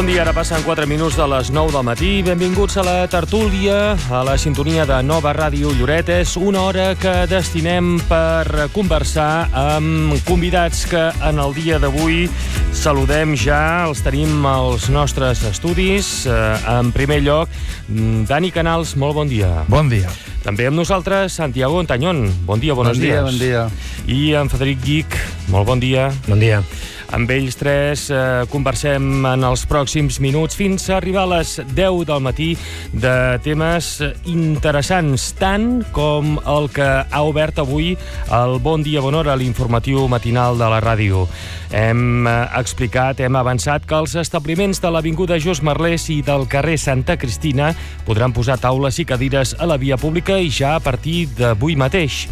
Bon dia, ara passen 4 minuts de les 9 del matí. Benvinguts a la tertúlia, a la sintonia de Nova Ràdio Lloret. És una hora que destinem per conversar amb convidats que en el dia d'avui saludem ja. Els tenim als nostres estudis. En primer lloc, Dani Canals, molt bon dia. Bon dia. També amb nosaltres, Santiago Ontañón. Bon dia, bonos dies. Bon dia. I en Frederic Guich, molt bon dia. Bon dia. Amb ells tres conversem en els pròxims minuts fins a arribar a les 10 del matí de temes interessants, tant com el que ha obert avui el Bon Dia Bon Hora, l'informatiu matinal de la ràdio. Hem explicat, hem avançat que els establiments de l'Avinguda Jos Merlès i del carrer Santa Cristina podran posar taules i cadires a la via pública i ja a partir d'avui mateix.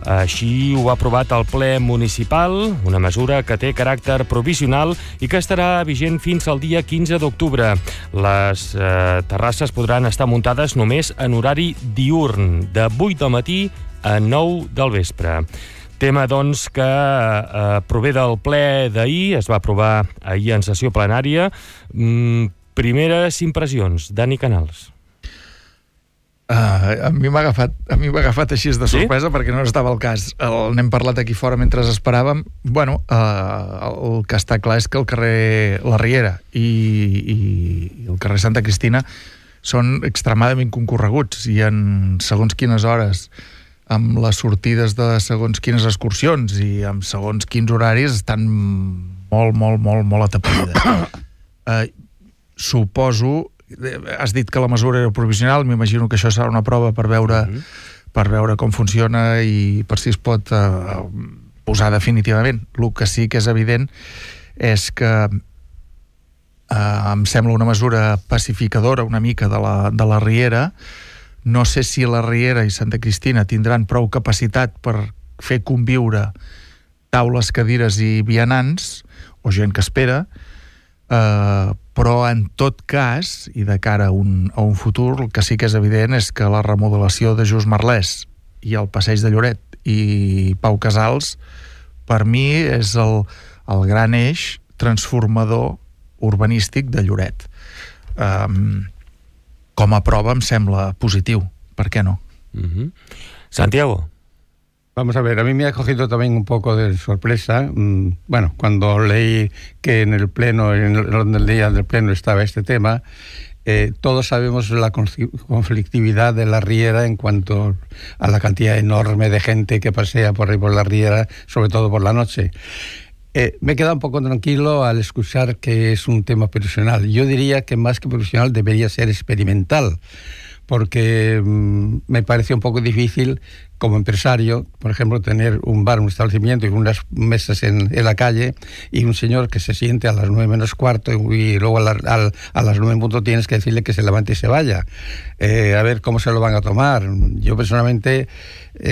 Així ho ha aprovat el ple municipal, una mesura que té caràcter provisional i que estarà vigent fins al dia 15 d'octubre. Les terrasses podran estar muntades només en horari diürn, de 8 del matí a 9 del vespre. Tema, doncs, que prové del ple d'ahir, es va aprovar ahir en sessió plenària. Primeres impressions, Dani Canals. A mi m'ha agafat així de sorpresa, sí? Perquè no estava al cas. N'hem parlat aquí fora mentre esperàvem. Bueno, el que està clar és que el carrer La Riera i el carrer Santa Cristina són extremadament concorreguts i en segons quines hores, amb les sortides de segons quines excursions i amb segons quins horaris estan molt atapeïdes. Suposo... Has dit que la mesura era provisional, m'imagino que això serà una prova per veure com funciona i per si es pot posar definitivament. El que sí que és evident és que em sembla una mesura pacificadora una mica de la Riera. No sé si la Riera i Santa Cristina tindran prou capacitat per fer conviure taules, cadires i vianants, o gent que espera, però en tot cas, i de cara a un futur, el que sí que és evident és que la remodelació de Jos Merlès i el Passeig de Lloret i Pau Casals, per mi és el gran eix transformador urbanístic de Lloret. Com a prova em sembla positiu, per què no? Santiago. Vamos a ver, a mí me ha cogido también un poco de sorpresa, bueno, cuando leí que en el pleno, en el día del pleno estaba este tema. Todos sabemos la conflictividad de la Riera en cuanto a la cantidad enorme de gente que pasea por ahí por la Riera, sobre todo por la noche. Me he quedado un poco tranquilo al escuchar que es un tema profesional. Yo diría que más que profesional debería ser experimental, porque me parece un poco difícil como empresario, por ejemplo, tener un bar, un establecimiento y unas mesas en la calle y un señor que se siente a las 9 menos cuarto y luego a las 9 en punto tienes que decirle que se levante y se vaya. A ver cómo se lo van a tomar. Yo personalmente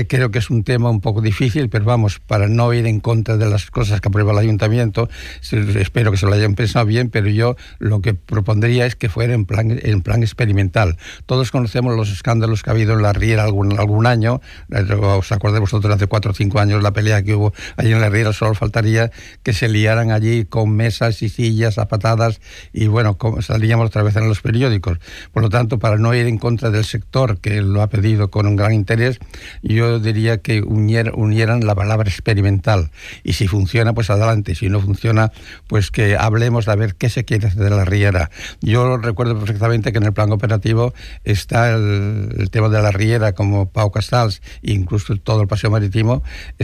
creo que es un tema un poco difícil, pero vamos, para no ir en contra de las cosas que aprueba el ayuntamiento, espero que se lo hayan pensado bien, pero yo lo que propondría es que fuera en plan experimental. Todos conocemos los escándalos que ha habido en la Riera algún año. ¿Os acordáis vosotros hace 4 o 5 años la pelea que hubo allí en la Riera? Solo faltaría que se liaran allí con mesas y sillas a patadas y bueno, salíamos otra vez en los periódicos. Por lo tanto, para no ir en contra del sector que lo ha pedido con un gran interés, yo diría que unieran la palabra experimental y si funciona, pues adelante, si no funciona, pues que hablemos de ver qué se quiere hacer de la Riera. Yo recuerdo perfectamente que en el plan operativo está el tema de la Riera como Pau Casals, incluso todo el paseo marítimo,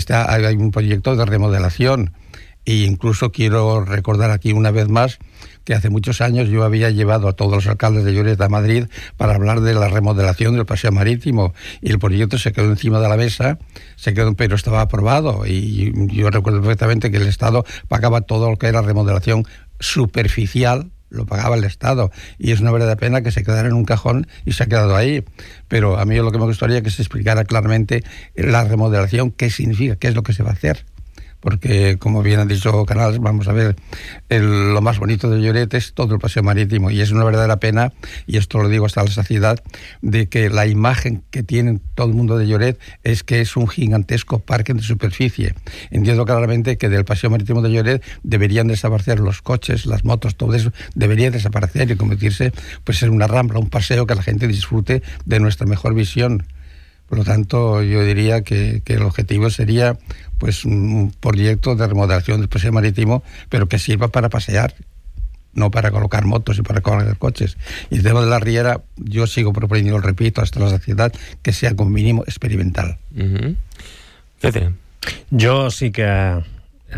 hay un proyecto de remodelación e incluso quiero recordar aquí una vez más que hace muchos años yo había llevado a todos los alcaldes de Lloret a Madrid para hablar de la remodelación del paseo marítimo y el proyecto se quedó encima de la mesa, pero estaba aprobado y yo recuerdo perfectamente que el Estado pagaba todo lo que era remodelación superficial, lo pagaba el Estado y es una verdadera pena que se quedara en un cajón y se ha quedado ahí, pero a mí lo que me gustaría es que se explicara claramente la remodelación, qué significa, qué es lo que se va a hacer. porque como bien ha dicho Canals, vamos a ver, lo más bonito de Lloret es todo el paseo marítimo, y es una verdadera pena, y esto lo digo hasta la saciedad, de que la imagen que tiene todo el mundo de Lloret es que es un gigantesco parque de superficie. Entiendo claramente que del paseo marítimo de Lloret deberían desaparecer los coches, las motos, todo eso debería desaparecer y convertirse pues en una rambla, un paseo que la gente disfrute de nuestra mejor visión. Por lo tanto, yo diría que el objetivo sería pues un proyecto de remodelación del paseo marítimo, pero que sirva para pasear, no para colocar motos y para colocar coches. Y el tema de la riera, yo sigo proponiendo, lo repito, hasta la saciedad, que sea como mínimo experimental. Fede. Jo sí que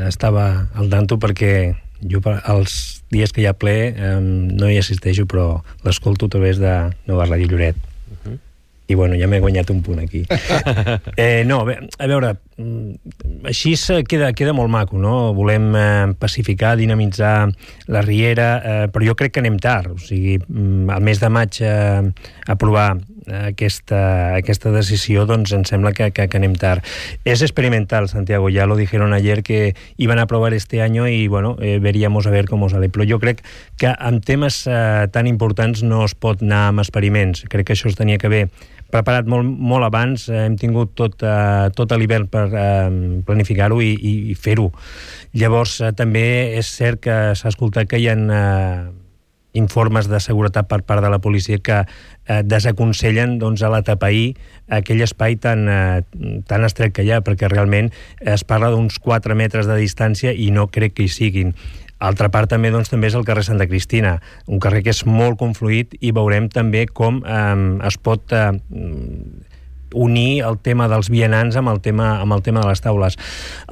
estava al tanto perquè jo els dies que hi ha ple no hi assisteixo, però l'escolto a través de Nova Ràdio Lloret. I bueno, ja m'he guanyat un punt aquí. No, bé, a veure, així queda molt maco, no? Volem pacificar, dinamitzar la riera, però jo crec que anem tard. O sigui, al mes de maig aprovar aquesta decisió, doncs em sembla que anem tard. Es experimental, Santiago, ya lo dijeron ayer que iban a aprobar este año y bueno, veríamos a ver cómo sale. Però jo crec que en temes tan importants no es pot anar amb experiments. Crec que això es tenia que haver preparat molt abans, hem tingut tot l'hivern per planificar-ho i fer-ho. Llavors, també és cert que s'ha escoltat que hi ha informes de seguretat per part de la policia que desaconsellen doncs, a l'atapeir aquell espai tan estret que hi ha, perquè realment es parla d'uns 4 metres de distància i no crec que hi siguin. Altra part també és el carrer Santa Cristina, un carrer que és molt confluït, i veurem també com es pot unir el tema dels vianants amb el tema de les taules.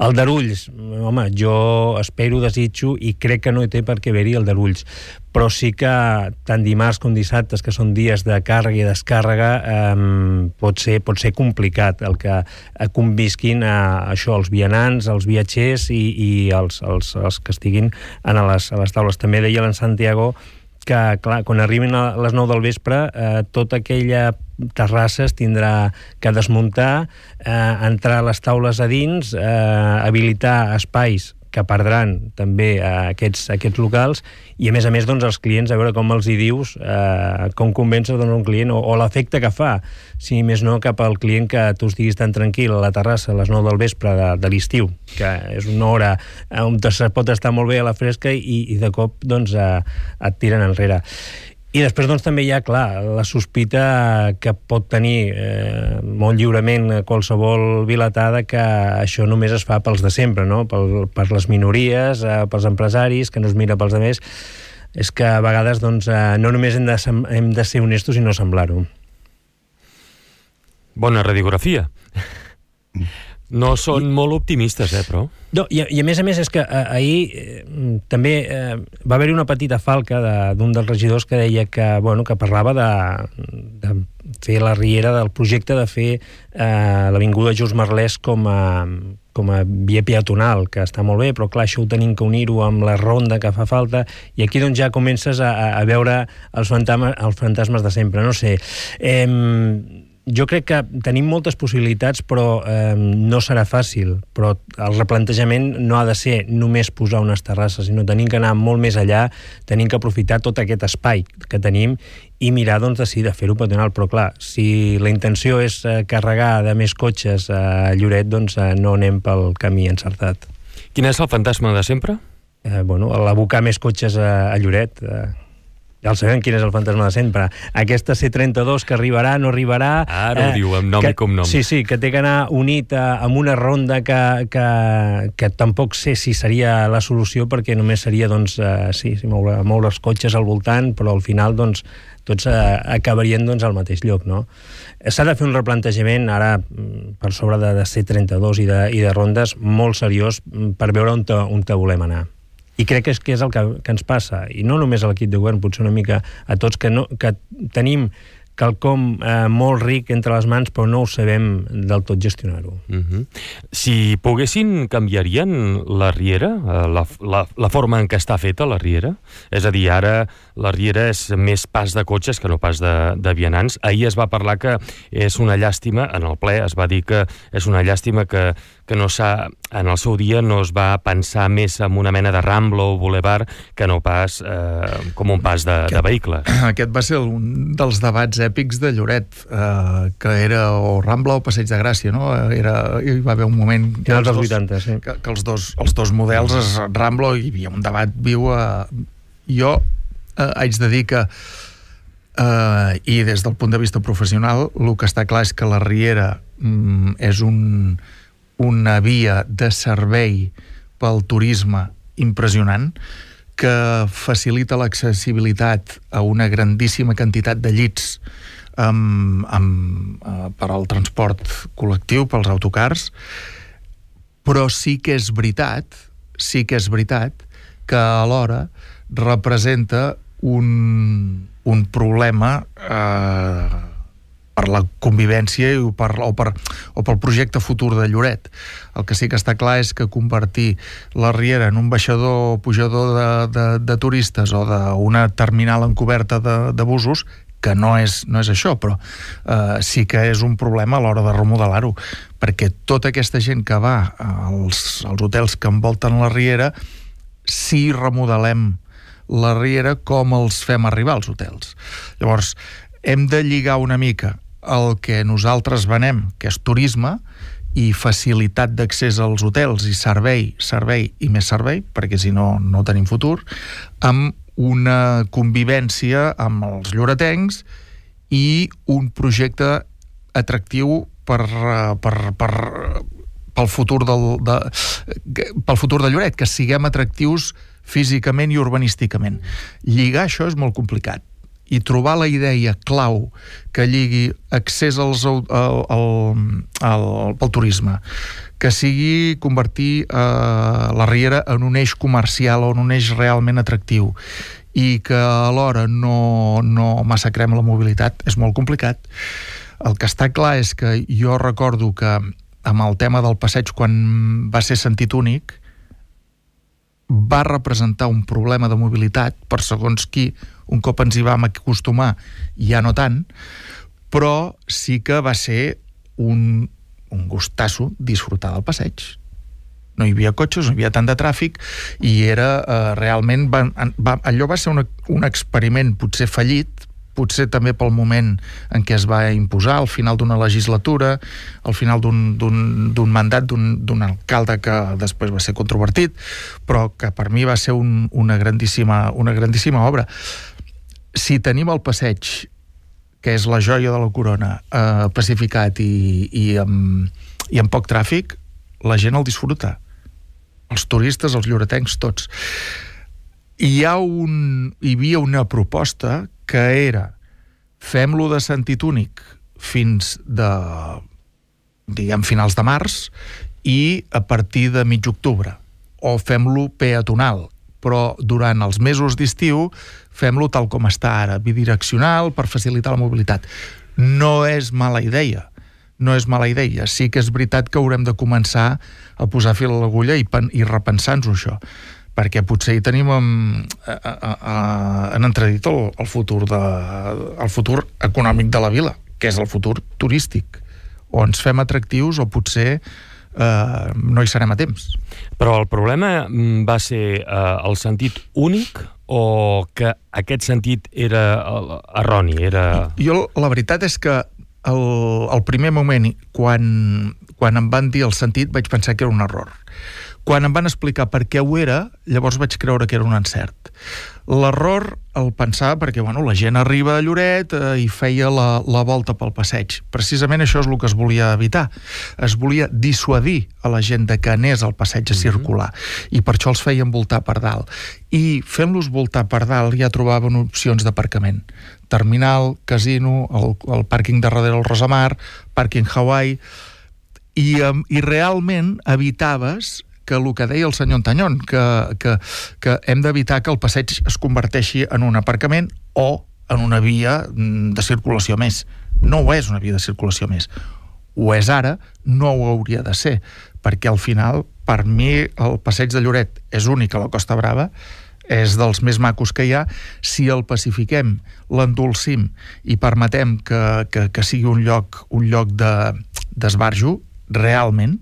El d'Arulls, home, jo espero, desitjo i crec que no hi té per què haver-hi el d'Arulls, però sí que tant dimarts com dissabtes, que són dies de càrrega i descàrrega, pot ser complicat el que convisquin això, els vianants, els viatgers i els que estiguin a les taules. També deia l'en Santiago que, clar, quan arribin a les 9 del vespre, tota aquella terrassa es tindrà que desmuntar, entrar les taules a dins, habilitar espais que perdran també aquests locals, i a més doncs els clients, a veure com els hi dius, com convences un client, o l'efecte que fa, si més no cap al client, que tu estiguis tan tranquil a la terrassa a les 9 del vespre de l'estiu, que és una hora on se pot estar molt bé a la fresca, i de cop doncs et tiren enrere. I després doncs, també hi ha, clar, la sospita que pot tenir molt lliurement qualsevol vilatada, que això només es fa pels de sempre, no? Per les minories, pels empresaris, que no es mira pels altres. És que a vegades doncs, no només hem de ser honestos, sinó semblar-ho. Bona radiografia. No són molt optimistes, però... No, i a més és que ahir també va haver-hi una petita falca d'un dels regidors que deia que parlava de fer la riera, del projecte de fer l'avinguda Just Merlès com a via peatonal, que està molt bé, però clar, això ho tenim que unir-ho amb la ronda que fa falta, i aquí doncs ja comences a veure els fantasmes de sempre. No sé, jo crec que tenim moltes possibilitats, però no serà fàcil. Però el replantejament no ha de ser només posar unes terrasses, sinó tenim que anar molt més allà, tenim que aprofitar tot aquest espai que tenim i mirar doncs, de fer-ho peatonal. Però clar, si la intenció és carregar de més cotxes a Lloret, doncs no anem pel camí encertat. Quin és el fantasma de sempre? L'abocar més cotxes a Lloret. Ja el sabem quin és el fantasma de sempre. Aquesta C32 que arribarà, no arribarà... Ara ho diu amb nom i cognom. Sí, que té que anar unit amb una ronda que tampoc sé si seria la solució, perquè només seria, doncs, moure els cotxes al voltant, però al final, doncs, tots acabarien doncs, al mateix lloc, no? S'ha de fer un replantejament ara per sobre de C32 i de rondes molt seriós per veure on volem anar. I crec que és el que ens passa, i no només a l'equip de govern, potser una mica a tots, que tenim quelcom molt ric entre les mans, però no ho sabem del tot gestionar-ho. Si poguessin, canviarien la riera, la forma en què està feta la riera? És a dir, ara la riera és més pas de cotxes que no pas de vianants. Ahir es va parlar que és una llàstima, en el ple es va dir que és una llàstima que no en el seu dia no es va pensar més en una mena de Rambla o Boulevard que no pas com un pas de vehicles. Aquest va ser un dels debats èpics de Lloret, que era o Rambla o Passeig de Gràcia, no? Hi va haver un moment que els 80, sí. Que els dos models es Rambla, hi havia un debat viu. Jo haig de dir que i des del punt de vista professional el que està clar és que la riera és una via de servei pel turisme impressionant, que facilita l'accessibilitat a una grandíssima quantitat de llits per al transport col·lectiu, pels autocars, però sí que és veritat que alhora representa un problema per la convivència o pel projecte futur de Lloret. El que sí que està clar és que convertir la riera en un baixador o pujador de turistes o d'una terminal encoberta de busos, que no és això, però sí que és un problema a l'hora de remodelar-ho, perquè tota aquesta gent que va als hotels que envolten la riera, si remodelem la riera, com els fem arribar als hotels. Llavors, hem de lligar una mica el que nosaltres venem, que és turisme, i facilitat d'accés als hotels, i servei i més servei, perquè si no, no tenim futur, amb una convivència amb els lloretencs i un projecte atractiu pel futur de Lloret, que siguem atractius físicament i urbanísticament. Lligar això és molt complicat, i trobar la idea clau que lligui accés pel turisme, que sigui convertir la riera en un eix comercial o en un eix realment atractiu, i que alhora no massacrem la mobilitat, és molt complicat. El que està clar és que jo recordo que amb el tema del passeig, quan va ser sentit únic, va representar un problema de mobilitat per segons qui. Un cop ens hi vam acostumar, ja no tant, però sí que va ser un gustasso disfrutar del passeig. No hi havia cotxes, no hi havia tant de tràfic, i era realment... allò va ser un experiment potser fallit, potser també pel moment en què es va imposar, al final d'una legislatura, al final d'un mandat d'un alcalde que després va ser controvertit, però que per mi va ser una grandíssima obra. Si tenim el passeig, que és la joia de la corona, pacificat i amb poc tràfic, la gent el disfruta. Els turistes, els lloretencs, tots. Hi havia una proposta que era fem-lo de sentit únic fins finals de març, i a partir de mig octubre, o fem-lo peatonal, però durant els mesos d'estiu fem-lo tal com està ara, bidireccional, per facilitar la mobilitat. No és mala idea. Sí que és veritat que haurem de començar a posar fil a l'agulla i repensar-nos això, perquè potser hi tenim en entredit el futur econòmic de la vila, que és el futur turístic. O ens fem atractius o potser no hi serem a temps. Però el problema va ser el sentit únic o que aquest sentit era erroni? Jo, la veritat és que el primer moment, quan em van dir el sentit, vaig pensar que era un error. Quan em van explicar per què ho era, llavors vaig creure que era un encert. L'error el pensava perquè la gent arriba a Lloret i feia la volta pel passeig. Precisament això és el que es volia evitar. Es volia dissuadir a la gent de que anés al passeig a circular, i per això els feien voltar per dalt. I fent-los voltar per dalt ja trobaven opcions d'aparcament. Terminal, casino, el pàrquing de darrere el Rosamar, pàrquing Hawaii, i realment evitaves que el que deia el senyor Antanyón, que hem d'evitar que el passeig es converteixi en un aparcament o en una via de circulació més. No ho és una via de circulació més. Ho és ara, no ho hauria de ser, perquè al final, per mi, el passeig de Lloret és únic a la Costa Brava, és dels més macos que hi ha. Si el pacifiquem, l'endolcim i permetem que sigui un lloc d'esbarjo, realment,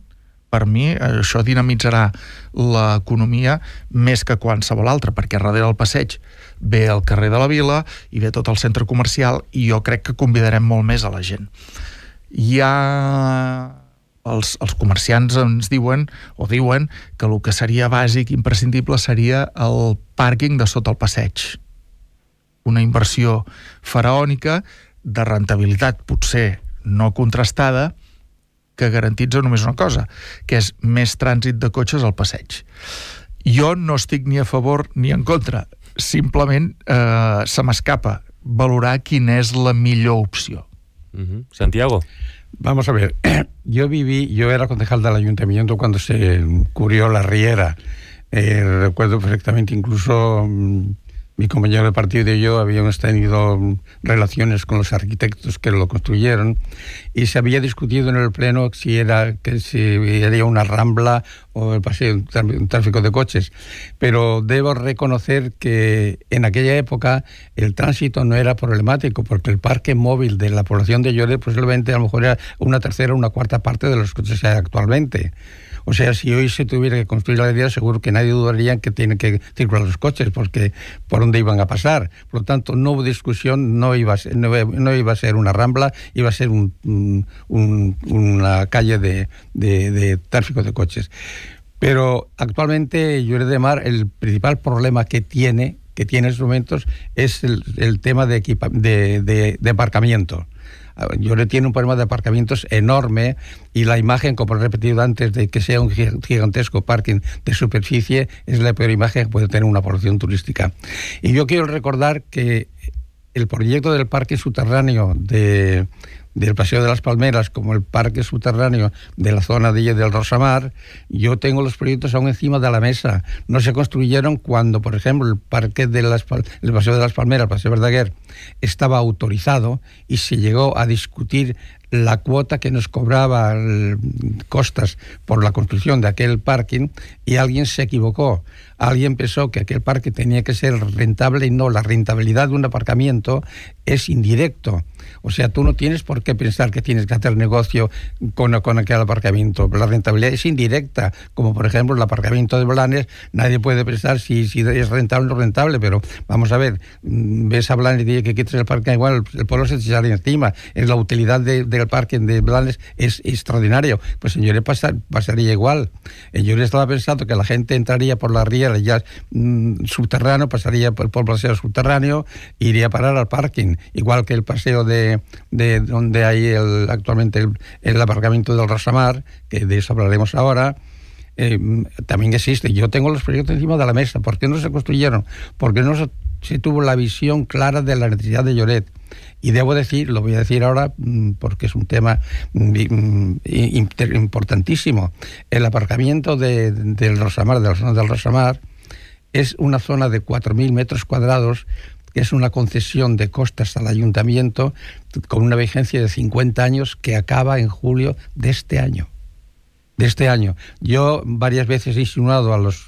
per mi, això dinamitzarà l'economia més que qualsevol altra, perquè darrere del passeig ve el carrer de la Vila i ve tot el centre comercial, i jo crec que convidarem molt més a la gent. Els comerciants ens diuen que el que seria bàsic, imprescindible, seria el pàrquing de sota el passeig. Una inversió faraònica de rentabilitat potser no contrastada, que garantitza només una cosa, que és més trànsit de cotxes al passeig. Jo no estic ni a favor ni en contra, simplement se m'escapa valorar quina és la millor opció. Santiago. Vamos a ver, yo era concejal del ayuntamiento cuando se cubrió la Riera. Recuerdo perfectamente, incluso mi compañero de partido y yo habíamos tenido relaciones con los arquitectos que lo construyeron, y se había discutido en el pleno si era una rambla o el paseo, un tráfico de coches. Pero debo reconocer que en aquella época el tránsito no era problemático, porque el parque móvil de la población de Lloret posiblemente a lo mejor era una tercera o una cuarta parte de los coches que hay actualmente. O sea, si hoy se tuviera que construir la Riera, seguro que nadie dudaría en que tienen que circular los coches, porque por dónde iban a pasar. Por lo tanto, no hubo discusión, no iba a ser una rambla, iba a ser una calle de tráfico de coches. Pero actualmente Lloret de Mar, el principal problema que tiene en estos momentos es el tema de aparcamiento. Lloret tiene un problema de aparcamientos enorme, y la imagen, como he repetido antes, de que sea un gigantesco parking de superficie es la peor imagen que puede tener una población turística. Y yo quiero recordar que el proyecto del parque subterráneo del Paseo de las Palmeras, como el parque subterráneo de la zona del Rosamar, yo tengo los proyectos aún encima de la mesa. No se construyeron cuando, por ejemplo, el parque el Paseo de las Palmeras, el Paseo Verdaguer, estaba autorizado, y se llegó a discutir la cuota que nos cobraba costas por la construcción de aquel parking, y alguien se equivocó. Alguien pensó que aquel parque tenía que ser rentable, y no, la rentabilidad de un aparcamiento es indirecto. O sea, tú no tienes por qué pensar que tienes que hacer negocio con aquel aparcamiento. La rentabilidad es indirecta, como por ejemplo el aparcamiento de Blanes. Nadie puede pensar si es rentable o no rentable, pero vamos a ver, ves a Blanes y dices que quites el parque, igual el pueblo se te sale encima. La utilidad del parque de Blanes es extraordinario. Pues en Lloret pasaría igual. En Lloret estaba pensando que la gente entraría por la Riera ya subterráneo, pasaría por el paseo subterráneo, iría a parar al parking, igual que el paseo de donde hay actualmente el aparcamiento del Rosamar, que de eso hablaremos ahora. También existe. Yo tengo los proyectos encima de la mesa. ¿Por qué no se construyeron? Porque no se tuvo la visión clara de la necesidad de Lloret. Y debo decir, lo voy a decir ahora porque es un tema importantísimo. El aparcamiento del Rosamar, de la zona del Rosamar, es una zona de 4.000 metros cuadrados, que es una concesión de costas al ayuntamiento con una vigencia de 50 años que acaba en julio de este año. Yo varias veces he insinuado a los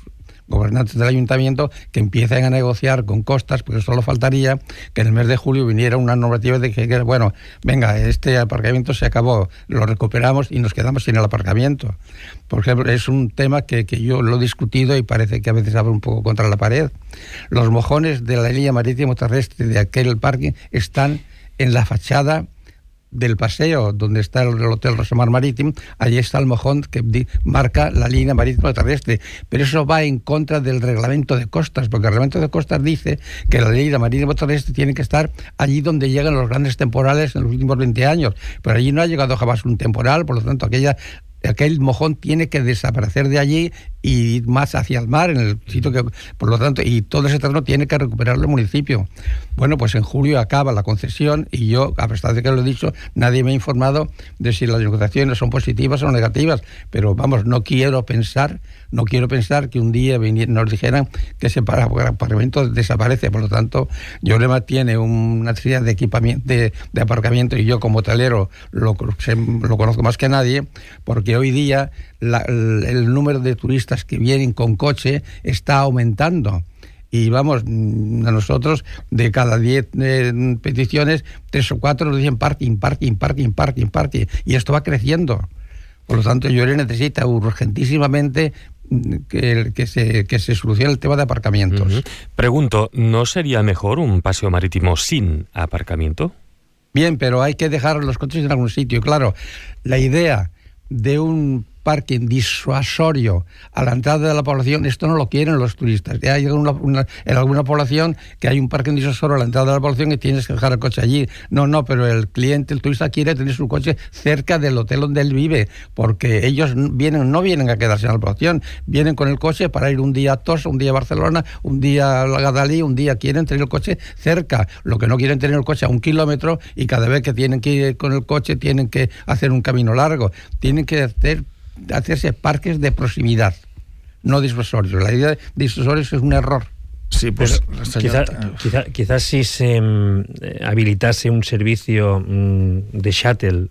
gobernantes del ayuntamiento que empiecen a negociar con costas, porque solo faltaría que en el mes de julio viniera una normativa de que, bueno, venga, este aparcamiento se acabó, lo recuperamos y nos quedamos sin el aparcamiento. Por ejemplo, es un tema que yo lo he discutido y parece que a veces abre un poco contra la pared. Los mojones de la línea marítimo terrestre de aquel parking están en la fachada del paseo donde está el Hotel Rosamar Marítimo. Allí está el mojón que marca la línea marítima terrestre, pero eso va en contra del reglamento de costas, porque el reglamento de costas dice que la línea marítima terrestre tiene que estar allí donde llegan los grandes temporales en los últimos 20 años, pero allí no ha llegado jamás un temporal, por lo tanto aquel mojón tiene que desaparecer de allí y más hacia el mar, en el sitio que, por lo tanto, y todo ese terreno tiene que recuperarlo el municipio. Bueno, pues en julio acaba la concesión y yo, a pesar de que lo he dicho, nadie me ha informado de si las negociaciones son positivas o negativas, pero vamos, no quiero pensar que un día nos dijeran que ese aparcamiento desaparece. Por lo tanto, Llorema tiene una serie de equipamiento, de aparcamiento, y yo como hotelero lo conozco más que nadie, porque hoy día el número de turistas que vienen con coche está aumentando. Y vamos, a nosotros de cada 10 peticiones, 3 o 4 nos dicen parking. Y esto va creciendo. Por lo tanto, Llorena necesita urgentísimamente que se solucione el tema de aparcamientos. Uh-huh. Pregunto, ¿no sería mejor un paseo marítimo sin aparcamiento? Bien, pero hay que dejar los coches en algún sitio. Claro, la idea de un parking disuasorio a la entrada de la población, esto no lo quieren los turistas. Hay en alguna población que hay un parking disuasorio a la entrada de la población y tienes que dejar el coche allí. No, pero el turista quiere tener su coche cerca del hotel donde él vive, porque ellos no vienen a quedarse en la población, vienen con el coche para ir un día a Tossa, un día a Barcelona, un día a Gadalí, un día quieren tener el coche cerca. Lo que no quieren tener el coche a 1 kilómetro, y cada vez que tienen que ir con el coche tienen que hacer un camino largo. Tienen que hacerse parques de proximidad, no disuasorios. La idea de disuasorios es un error. Sí, pues quizás si se habilitase un servicio de shuttle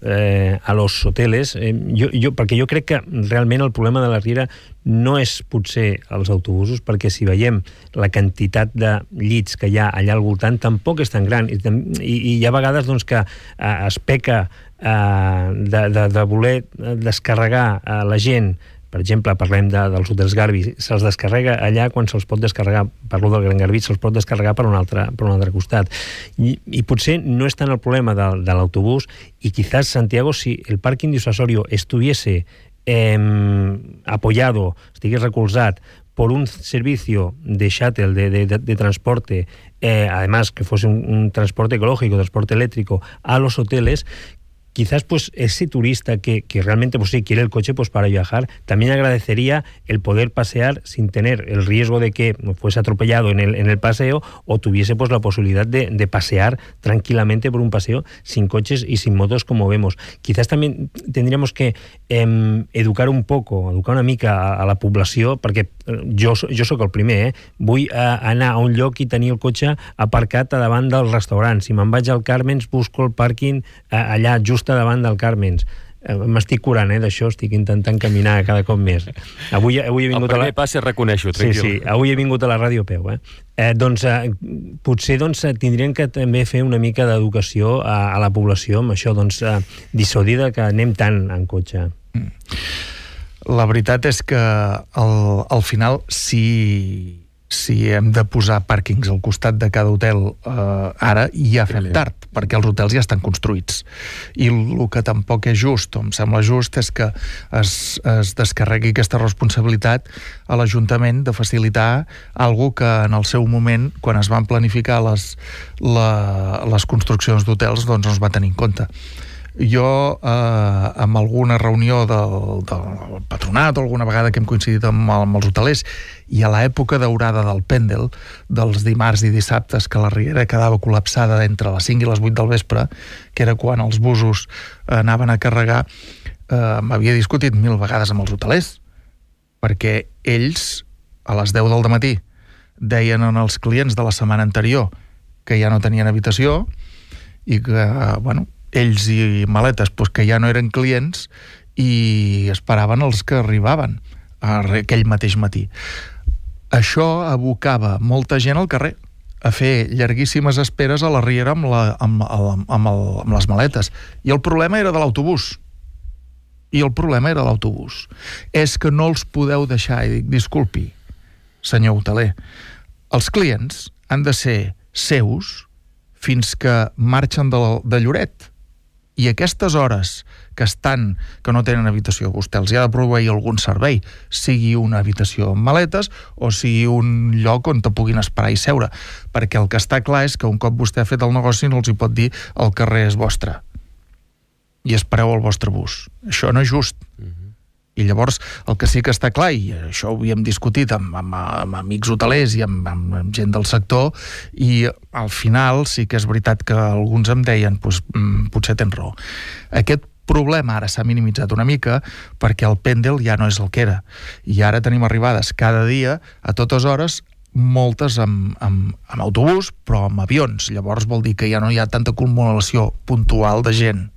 a los hoteles, perquè jo crec que realment el problema de la Riera no és potser els autobusos, perquè si veiem la quantitat de llits que hi ha allà al voltant tampoc és tan gran, i hi ha vegades doncs, que es peca de voler descarregar la gent. Per exemple, parlem dels hotels Garbi, se'ls descarrega allà quan se'ls pot descarregar, parlo del Gran Garbí, se'ls pot descarregar per un altre costat. I potser no és tant el problema de l'autobús, i quizás, Santiago, si el parking disuasorio estuviese apoyado, estigués recolzat por un servicio de shuttle, de transporte, además que fuese un transporte ecológico, transporte eléctrico, a los hoteles, quizás pues ese turista que realmente pues sí quiere el coche pues para viajar, también agradecería el poder pasear sin tener el riesgo de que fuese atropellado en el paseo, o tuviese pues la posibilidad de pasear tranquilamente por un paseo sin coches y sin motos como vemos. Quizás también tendríamos que educar una mica a la població, perquè jo sóc el primer, vull anar a un lloc i tenir el cotxe aparcat a davant del restaurant. Si me'n vaig al Carmens, busco el pàrquing allà just a davant del Carmens. M'estic curant d'això, estic intentant caminar cada cop més. Avui he vingut el primer pas és reconèixer-ho, tranquil. Sí, avui he vingut a la ràdio a peu. Potser tindrien que també fer una mica d'educació a la població amb això, dissuadir que anem tant en cotxe. La veritat és que al final, si hem de posar pàrquings al costat de cada hotel, ara ja fem tard, perquè els hotels ja estan construïts. I el que tampoc és just, o em sembla just, és que es descarregui aquesta responsabilitat a l'Ajuntament de facilitar algo que en el seu moment, quan es van planificar les construccions d'hotels, doncs no es va tenir en compte. Jo, amb alguna reunió del patronat, o alguna vegada que hem coincidit amb els hotelers, i a l'època daurada del Pendel, dels dimarts i dissabtes, que la Riera quedava col·lapsada entre les 5 i les 8 del vespre, que era quan els busos anaven a carregar, m'havia discutit 1000 vegades amb els hotelers, perquè ells, a les 10 del matí, deien als clients de la setmana anterior que ja no tenien habitació, i que, bueno, ells i maletes que ja no eren clients, i esperaven els que arribaven aquell mateix matí. Això abocava molta gent al carrer a fer llarguíssimes esperes a la Riera amb les maletes. I el problema era de l'autobús. És que no els podeu deixar. I dic, disculpi, senyor hoteler, els clients han de ser seus fins que marxen de Lloret. I aquestes hores que no tenen habitació, vostè els ha de proveir algun servei, sigui una habitació amb maletes o sigui un lloc on te puguin esperar i seure, perquè el que està clar és que un cop vostè ha fet el negoci no els hi pot dir el carrer és vostre i espereu el vostre bus. Això no és just. I llavors el que sí que està clar, i això ho havíem discutit amb amics hotelers i amb gent del sector, i al final sí que és veritat que alguns em deien potser tens raó. Aquest problema ara s'ha minimitzat una mica perquè el pèndel ja no és el que era, i ara tenim arribades cada dia a totes hores, moltes amb autobús, però amb avions. Llavors vol dir que ja no hi ha tanta acumulació puntual de gent.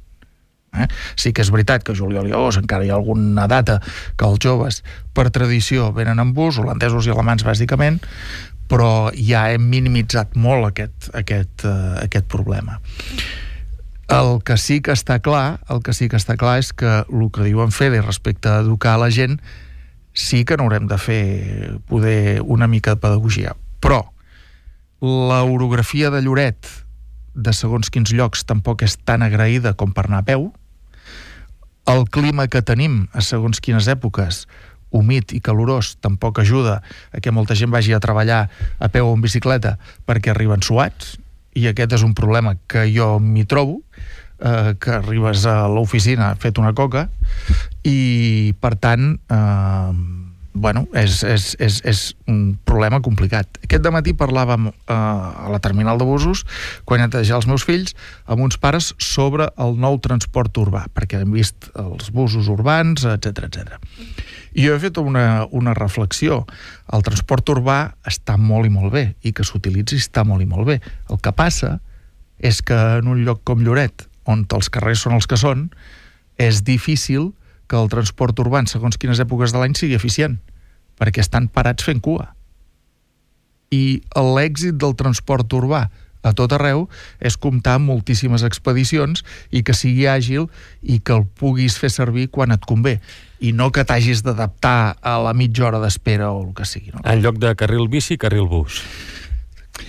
Sí que és veritat que a juliol i agost encara hi ha alguna data que els joves per tradició venen en bus, holandesos i alemans bàsicament, però ja hem minimitzat molt aquest problema. El que sí que està clar és que el que diuen Fede respecte a educar la gent sí que n'haurem de fer poder una mica de pedagogia, però l'orografia de Lloret de segons quins llocs tampoc és tan agraïda com per anar a peu. El clima que tenim a segons quines èpoques, humit i calorós, tampoc ajuda a que molta gent vagi a treballar a peu o en bicicleta perquè arriben suats, i aquest és un problema que jo m'hi trobo, que arribes a l'oficina fet una coca, i per tant és un problema complicat. Aquest dematí parlàvem a la terminal de busos, quan netejar els meus fills, amb uns pares sobre el nou transport urbà, perquè hem vist els busos urbans, etc. I jo he fet una reflexió. El transport urbà està molt i molt bé, i que s'utilitzi està molt i molt bé. El que passa és que en un lloc com Lloret, on els carrers són els que són, és difícil que el transport urbà en segons quines èpoques de l'any sigui eficient, perquè estan parats fent cua. I l'èxit del transport urbà a tot arreu és comptar amb moltíssimes expedicions i que sigui àgil i que el puguis fer servir quan et convé, i no que t'hagis d'adaptar a la mitja hora d'espera o el que sigui. No? En lloc de carril bici, carril bus.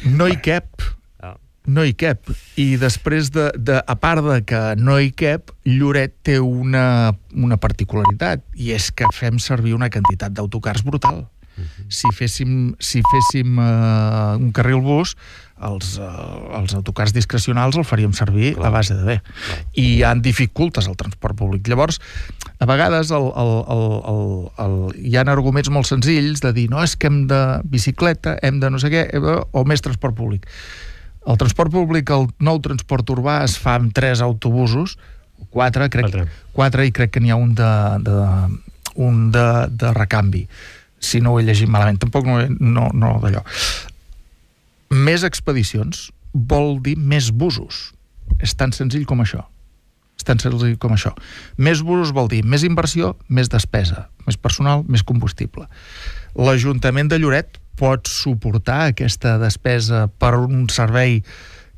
No hi cap. No hi cap. I després a part de que no hi cap, Lloret té una particularitat, i és que fem servir una quantitat d'autocars brutal. Si féssim un carril bus, els autocars discrecionals el faríem servir a base de bé. I hi ha dificultes al transport públic. Llavors, a vegades hi ha arguments molt senzills de dir, no, és que hem de bicicleta, hem de no sé què, o més transport públic. El transport públic, el nou transport urbà, es fa amb 3 autobusos, 4, i crec que n'hi ha un de recanvi, si no ho he llegit malament, tampoc no d'allò. Més expedicions vol dir més busos. És tan senzill com això. Més busos vol dir més inversió, més despesa, més personal, més combustible. L'Ajuntament de Lloret pot suportar aquesta despesa per un servei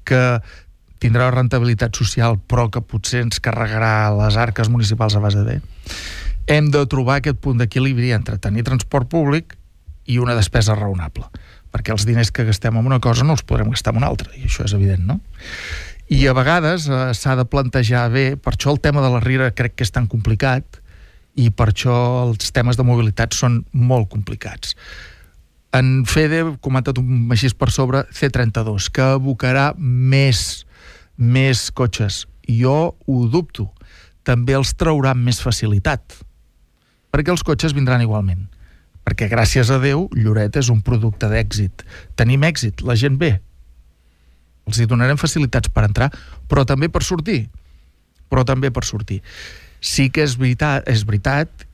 que tindrà rentabilitat social però que potser ens carregarà les arques municipals a base de bé. Hem de trobar aquest punt d'equilibri entre tenir transport públic i una despesa raonable, perquè els diners que gastem en una cosa no els podrem gastar en una altra, i això és evident, no? I a vegades s'ha de plantejar bé, per això el tema de la Riera crec que és tan complicat, i per això els temes de mobilitat són molt complicats. En Fede ha comentat així per sobre C32, que abocarà més cotxes. Jo ho dubto. També els traurà amb més facilitat, perquè els cotxes vindran igualment. Perquè, gràcies a Déu, Lloret és un producte d'èxit. Tenim èxit, la gent ve. Els hi donarem facilitats per entrar, però també per sortir. Sí que és veritat,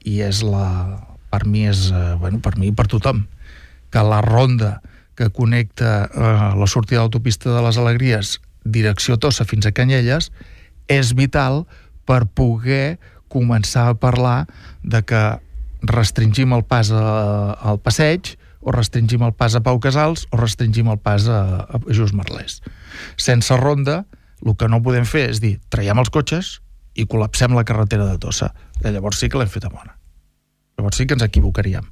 i per mi i per tothom, que la ronda que connecta la sortida de l'autopista de les Alegries direcció Tossa fins a Canyelles és vital per poder començar a parlar de que restringim el pas al Passeig, o restringim el pas a Pau Casals, o restringim el pas a Just Merlès. Sense ronda, el que no podem fer és dir, traiem els cotxes i col·lapsem la carretera de Tossa. Llavors sí que l'hem feta bona. Llavors sí que ens equivocaríem.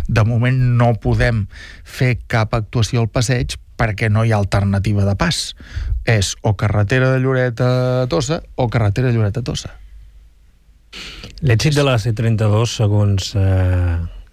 De moment no podem fer cap actuació al Passeig perquè no hi ha alternativa de pas. És o carretera de Lloret a Tossa o carretera de Lloret a Tossa. L'èxit de la C32, segons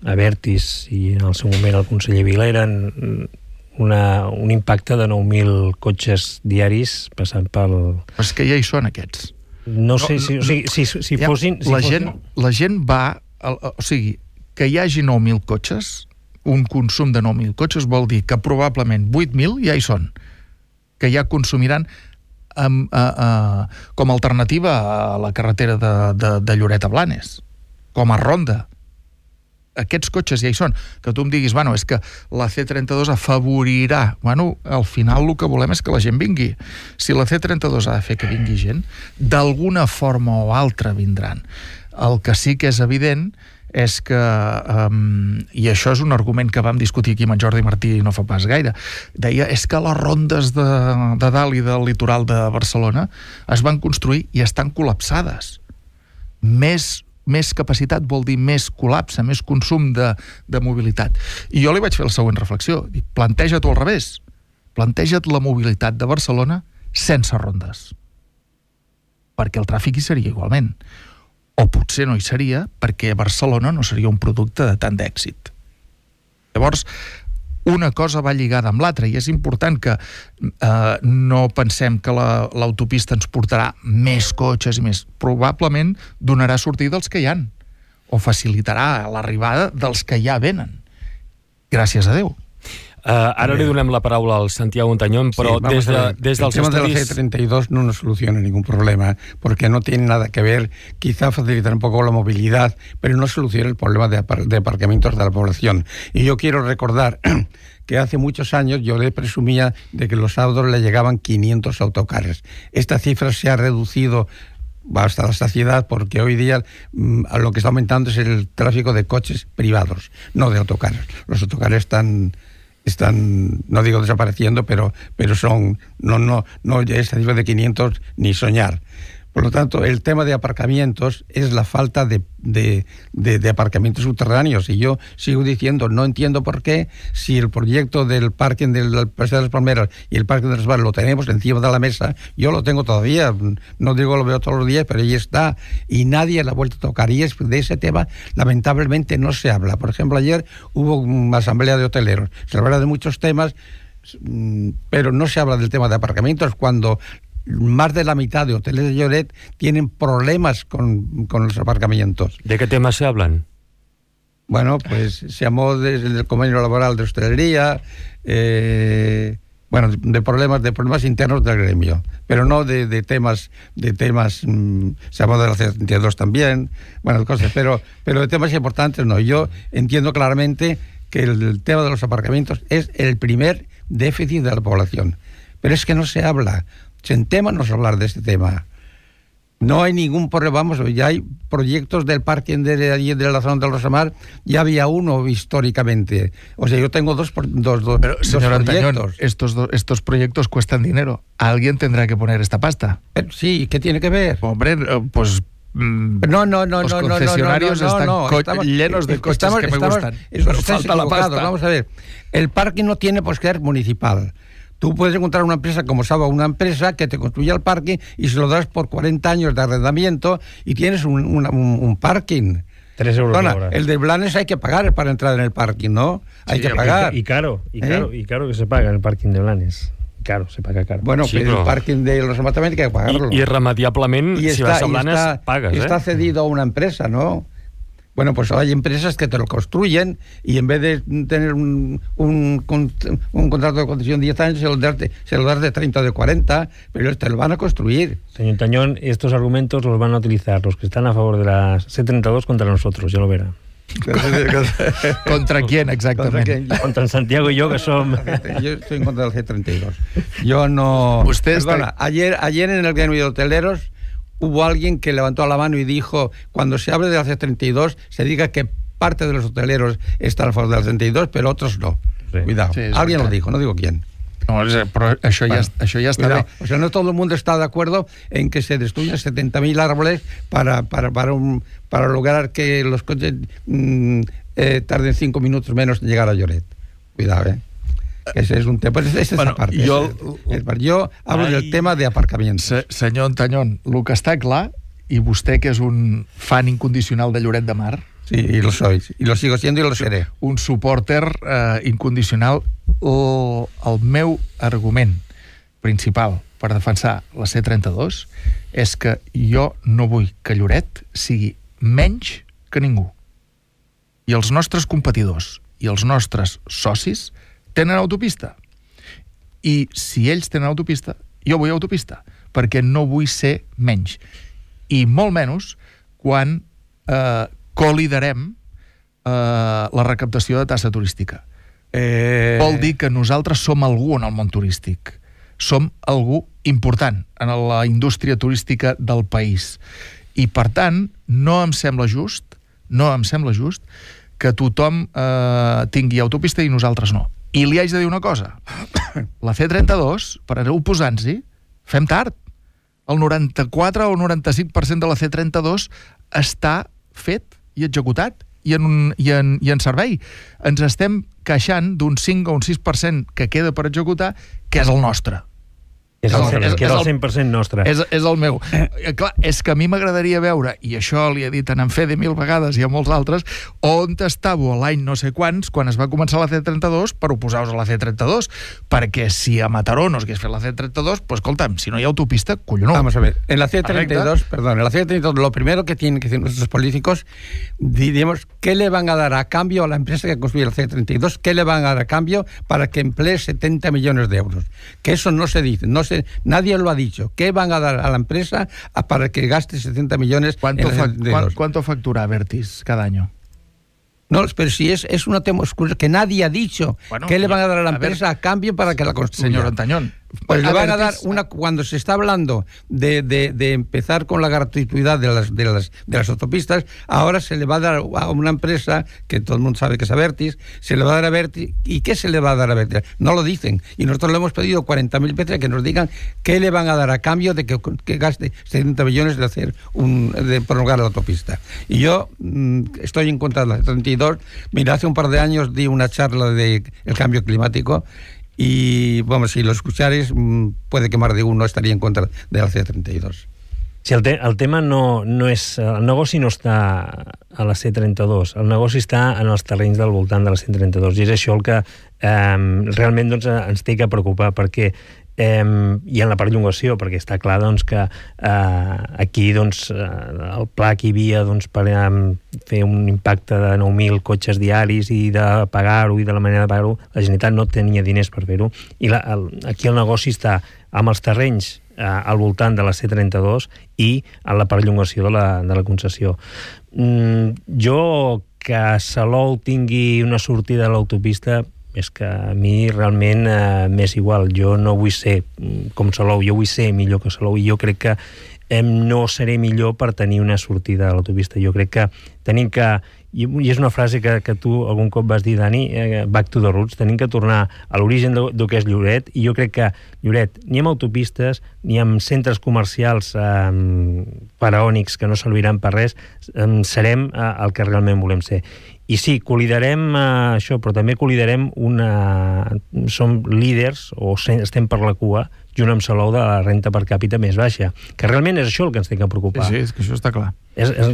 Avertis i en el seu moment el conseller Vila, eren un impacte de 9.000 cotxes diaris passant pel... Però és que ja hi són aquests. No sé, si fossin... La gent va o sigui, que hi hagi 9.000 cotxes, un consum de 9.000 cotxes vol dir que probablement 8.000 ja hi són, que ja consumiran com a alternativa a la carretera de Lloret a Blanes, com a ronda. Aquests cotxes ja hi són. Que tu em diguis, bueno, és que la C32 afavorirà. Bueno, al final el que volem és que la gent vingui. Si la C32 ha de fer que vingui gent, d'alguna forma o altra vindran. El que sí que és evident és que, i això és un argument que vam discutir aquí amb en Jordi Martí no fa pas gaire, deia, és que les rondes de dalt i del litoral de Barcelona es van construir i estan col·lapsades. Més capacitat vol dir més col·lapse, més consum de mobilitat. I jo li vaig fer la següent reflexió. Dic, planteja-t'ho al revés. Planteja't la mobilitat de Barcelona sense rondes. Perquè el tràfic hi seria igualment. O potser no hi seria perquè Barcelona no seria un producte de tant d'èxit. Llavors, una cosa va lligada amb l'altra i és important que no pensem que l'autopista ens portarà més cotxes i més. Probablement donarà sortida als que hi han o facilitarà l'arribada dels que ja venen. Gràcies a Déu. Ara li donem la paraula al Santiago Ontañón, pero sí, desde el tema de la C32 no nos soluciona ningún problema, porque no tiene nada que ver, quizá facilitar un poco la movilidad, pero no soluciona el problema de aparcamientos de la población. Y yo quiero recordar que hace muchos años yo le presumía de que los sábados le llegaban 500 autocares. Esta cifra se ha reducido hasta la saciedad, porque hoy día lo que está aumentando es el tráfico de coches privados, no de autocares. Los autocares están, no digo desapareciendo, pero son, no esa cifra de 500 ni soñar. Por lo tanto, el tema de aparcamientos es la falta de aparcamientos subterráneos. Y yo sigo diciendo, no entiendo por qué, si el proyecto del parking del Paseo de las Palmeras y el parking de los Bares lo tenemos encima de la mesa, yo lo tengo todavía, no digo lo veo todos los días, pero ahí está, y nadie la ha vuelto a tocar. Y de ese tema, lamentablemente, no se habla. Por ejemplo, ayer hubo una asamblea de hoteleros. Se habla de muchos temas, pero no se habla del tema de aparcamientos cuando más de la mitad de hoteles de Lloret tienen problemas con los aparcamientos. ¿De qué temas se hablan? Bueno, pues se habló del convenio laboral de hostelería, bueno, de problemas internos del gremio, pero no de temas, se habló de la C32 también, bueno, cosas, pero de temas importantes no. Yo entiendo claramente que el tema de los aparcamientos es el primer déficit de la población, pero es que no se habla. Sentémonos a hablar de este tema. No hay ningún problema, vamos, ya hay proyectos del parking de allí de la zona del Rosamar, ya había uno históricamente. O sea, yo tengo dos Pero, señor Antañón, estos proyectos cuestan dinero. Alguien tendrá que poner esta pasta. Pero, sí, ¿qué tiene que ver? Hombre, pues... los concesionarios están llenos de coches que me gustan. Pero falta la pasta. Vamos a ver, el parking no tiene por qué ser municipal. Tú puedes encontrar una empresa como Saba, una empresa que te construye el parking y se lo das por 40 años de arrendamiento y tienes un parking. 3 euros la hora. El de Blanes hay que pagar para entrar en el parking, ¿no? Hay que pagar. Y caro que se paga en el parking de Blanes. Caro, se paga caro. Bueno, sí, pero el parking de los también hay que pagarlo. Irremediablement, si vas a Blanes, pagas. Está cedido a una empresa, ¿no? Bueno, pues hay empresas que te lo construyen y en vez de tener un contrato de concesión de 10 años, se lo das de 30 o de 40, pero te lo van a construir. Señor Tañón, estos argumentos los van a utilizar los que están a favor de la C32 contra nosotros, ya lo verá. ¿Contra quién exactamente? Contra Santiago y yo, que son... Yo estoy en contra del C32. Yo no... Perdona, ayer en el gremio de hoteleros hubo alguien que levantó la mano y dijo, cuando se hable de la C32, se diga que parte de los hoteleros están a favor de la C32, pero otros no. Sí. Cuidado. Sí, alguien lo dijo, no digo quién. No, però això ja està bé. O sea, no todo el mundo está de acuerdo en que se destruyan 70.000 árboles para lograr que los coches tarden 5 minutos menos en llegar a Lloret. Cuidado, Ese es un tema. Esa parte. Jo hablo del tema de aparcamientos. Senyor Antañón, el que està clar, i vostè que és un fan incondicional de Lloret de Mar... Sí, y lo soy, y lo sigo siendo y lo seré. Un supporter incondicional. El meu argument principal per defensar la C32 és que jo no vull que Lloret sigui menys que ningú. i els nostres competidors i els nostres socis tenen autopista. I si ells tenen autopista, jo vull autopista, perquè no vull ser menys. I molt menys quan coliderem la recaptació de taxa turística. Vol dir que nosaltres som algú en el món turístic. Som algú important en la indústria turística del país. I, per tant, no em sembla just que tothom tingui autopista i nosaltres no. I li haig de dir una cosa. La C32, per oposar-nos-hi, fem tard. El 94 o el 95% de la C32 està fet i executat i en servei. Ens estem queixant d'un 5 o un 6% que queda per executar, que és el nostre. És el 100% nostre. És el meu. Clar, és que a mi m'agradaria veure, i això li he dit a en Fede 1000 vegades i a molts altres, on estàveu a l'any no sé quants, quan es va començar la C32, per oposar-vos a la C32. Perquè si a Mataró no s'hagués fet la C32, pues escolta'm, si no hi ha autopista, collonó. Vamos a ver, en la C32, lo primero que tienen que decir nuestros políticos, diríamos, ¿qué le van a dar a cambio a la empresa que construye la C32? ¿Qué le van a dar a cambio para que emplee 70 millones de euros? Que eso no se dice, nadie lo ha dicho. ¿Qué van a dar a la empresa para que gaste 70 millones? ¿Cuánto factura Abertis cada año? No, pero si es una tema que nadie ha dicho. Bueno, ¿qué le van a dar a la empresa a cambio para que la construya? Señor Antañón. Pues le van a dar cuando se está hablando de empezar con la gratuidad de las autopistas, ahora se le va a dar a una empresa que todo el mundo sabe que es Abertis, se le va a dar a Abertis. ¿Y qué se le va a dar a Abertis? No lo dicen. Y nosotros le hemos pedido 40.000 veces que nos digan qué le van a dar a cambio de que gaste 70 millones de prolongar la autopista. Y yo estoy en contra de la 32. Mira, hace un par de años di una charla de el cambio climático. Y, vamos, si lo escuchares, puede que más de uno estaría en contra de la C32. Sí, el tema no és... El negoci no està a la C32, el negoci està en els terrenys del voltant de la C32, i és això el que realment doncs, ens té que preocupar, perquè i en la perllongació, perquè està clar doncs, que aquí doncs, el pla que hi havia doncs, per fer un impacte de 9.000 cotxes diaris i de pagar-ho i de la manera de pagar-ho, la Generalitat no tenia diners per fer-ho, i aquí el negoci està amb els terrenys al voltant de la C32 i en la perllongació de la concessió. Jo que Salou tingui una sortida a l'autopista és que a mi realment m'és igual. Jo no vull ser com Salou, jo vull ser millor que Salou, i jo crec que no seré millor per tenir una sortida a l'autopista. Jo crec que tenim que, i és una frase que tu algun cop vas dir, Dani, back to the roots, tenim que tornar a l'origen del que és Lloret, i jo crec que Lloret, ni amb autopistes, ni amb centres comercials faraònics que no serviran per res, serem el que realment volem ser. I sí, coliderem això, però també coliderem som líders, o estem per la cua, junt amb Salou, de la renta per càpita més baixa, que realment és això el que ens té que preocupar. Sí, és que això està clar.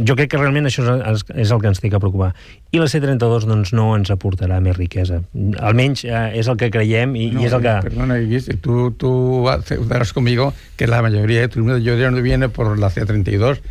Jo crec que realment això és el que ens té que preocupar. I la C32 doncs, no ens aportarà més riquesa. Almenys és el que creiem i és el que... Perdona, tú darás conmigo que la mayoría de turismo de Lloret no viene por la C32.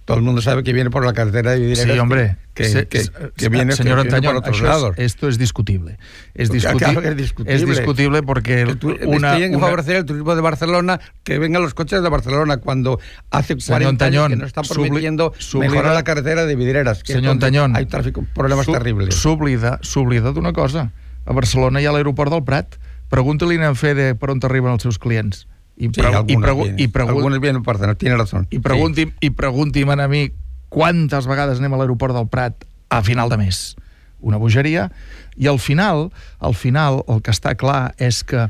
Todo el mundo sabe que viene por la carretera de Vidrieras. Sí, hombre. Que viene, señor Antañón, por otros lados. Esto es discutible. Claro que es discutible. Es discutible porque tienen que favorecer el turismo de Barcelona, que vengan los coches de Barcelona, cuando hace 40 años que nos están prometiendo mejorar la carretera de Vidrieras. Senyor Antañón, hay problemes terribles. S'oblida d'una cosa. A Barcelona hi ha l'aeroport del Prat. Pregunta-li a en Fede per on arriben els seus clients. Algunos vienen por Barcelona, tiene razón. I pregunti'm a mi quantes vegades anem a l'aeroport del Prat a final de mes. Una bogeria. I al final el que està clar és que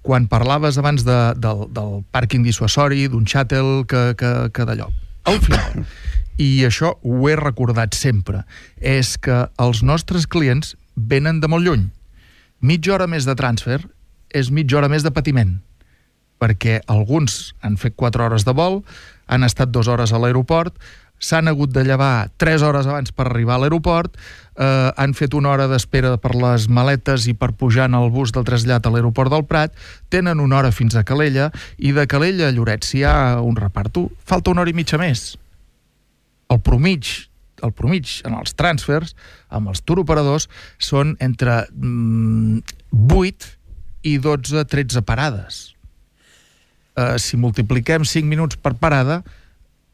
quan parlaves abans del pàrquing dissuasori, d'un xàtel que d'allò, al final, i això ho he recordat sempre, és que els nostres clients venen de molt lluny. Mitja hora més de transfer és mitja hora més de patiment, perquè alguns han fet 4 hores de vol, han estat 2 hores a l'aeroport, s'han hagut de llevar 3 hores abans per arribar a l'aeroport, han fet 1 hora d'espera per les maletes i per pujar en el bus del trasllat a l'aeroport del Prat, tenen 1 hora fins a Calella, i de Calella a Lloret, si hi ha un reparto, falta 1 hora i mitja més. El en els transfers, amb els turoperadors, són entre 8 i 12-13 parades. Si multipliquem 5 minuts per parada,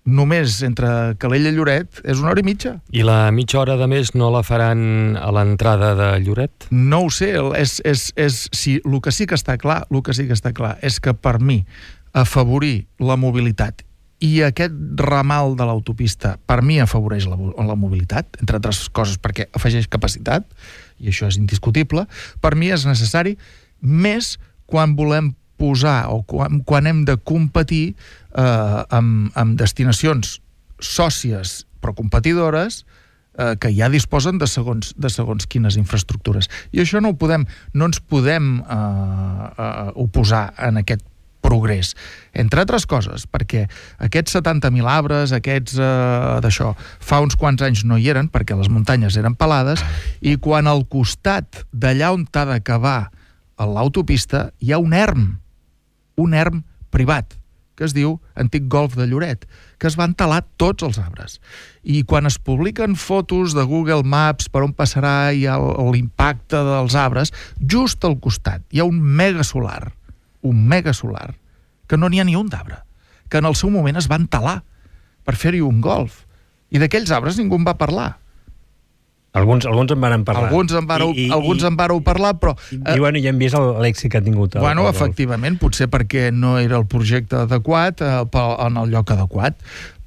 només entre Calella i Lloret és 1 hora i mitja. I la mitja hora de més no la faran a l'entrada de Lloret? No ho sé, el que sí que està clar és que per mi afavorir la mobilitat i aquest ramal de l'autopista per mi afavoreix la mobilitat, entre altres coses perquè afegeix capacitat, i això és indiscutible, per mi és necessari més quan volem posar o quan hem de competir amb destinacions sòcies però competidores que ja disposen de segons quines infraestructures. I això no ens podem oposar en aquest progrés, entre altres coses, perquè aquests 70.000 arbres, aquests d'això, fa uns quants anys no hi eren, perquè les muntanyes eren pelades, i quan al costat d'allà on t'ha d'acabar l'autopista hi ha un erm privat, que es diu Antic Golf de Lloret, que es van talar tots els arbres. I quan es publiquen fotos de Google Maps per on passarà i l'impacte dels arbres, just al costat hi ha un megasolar, que no n'hi ha ni un d'arbre, que en el seu moment es van talar per fer-hi un golf. I d'aquells arbres ningú en va parlar. Alguns en van parlar. Alguns en vareu parlar, però... I ja hem vist l'èxit que ha tingut. Efectivament, potser perquè no era el projecte adequat en el lloc adequat,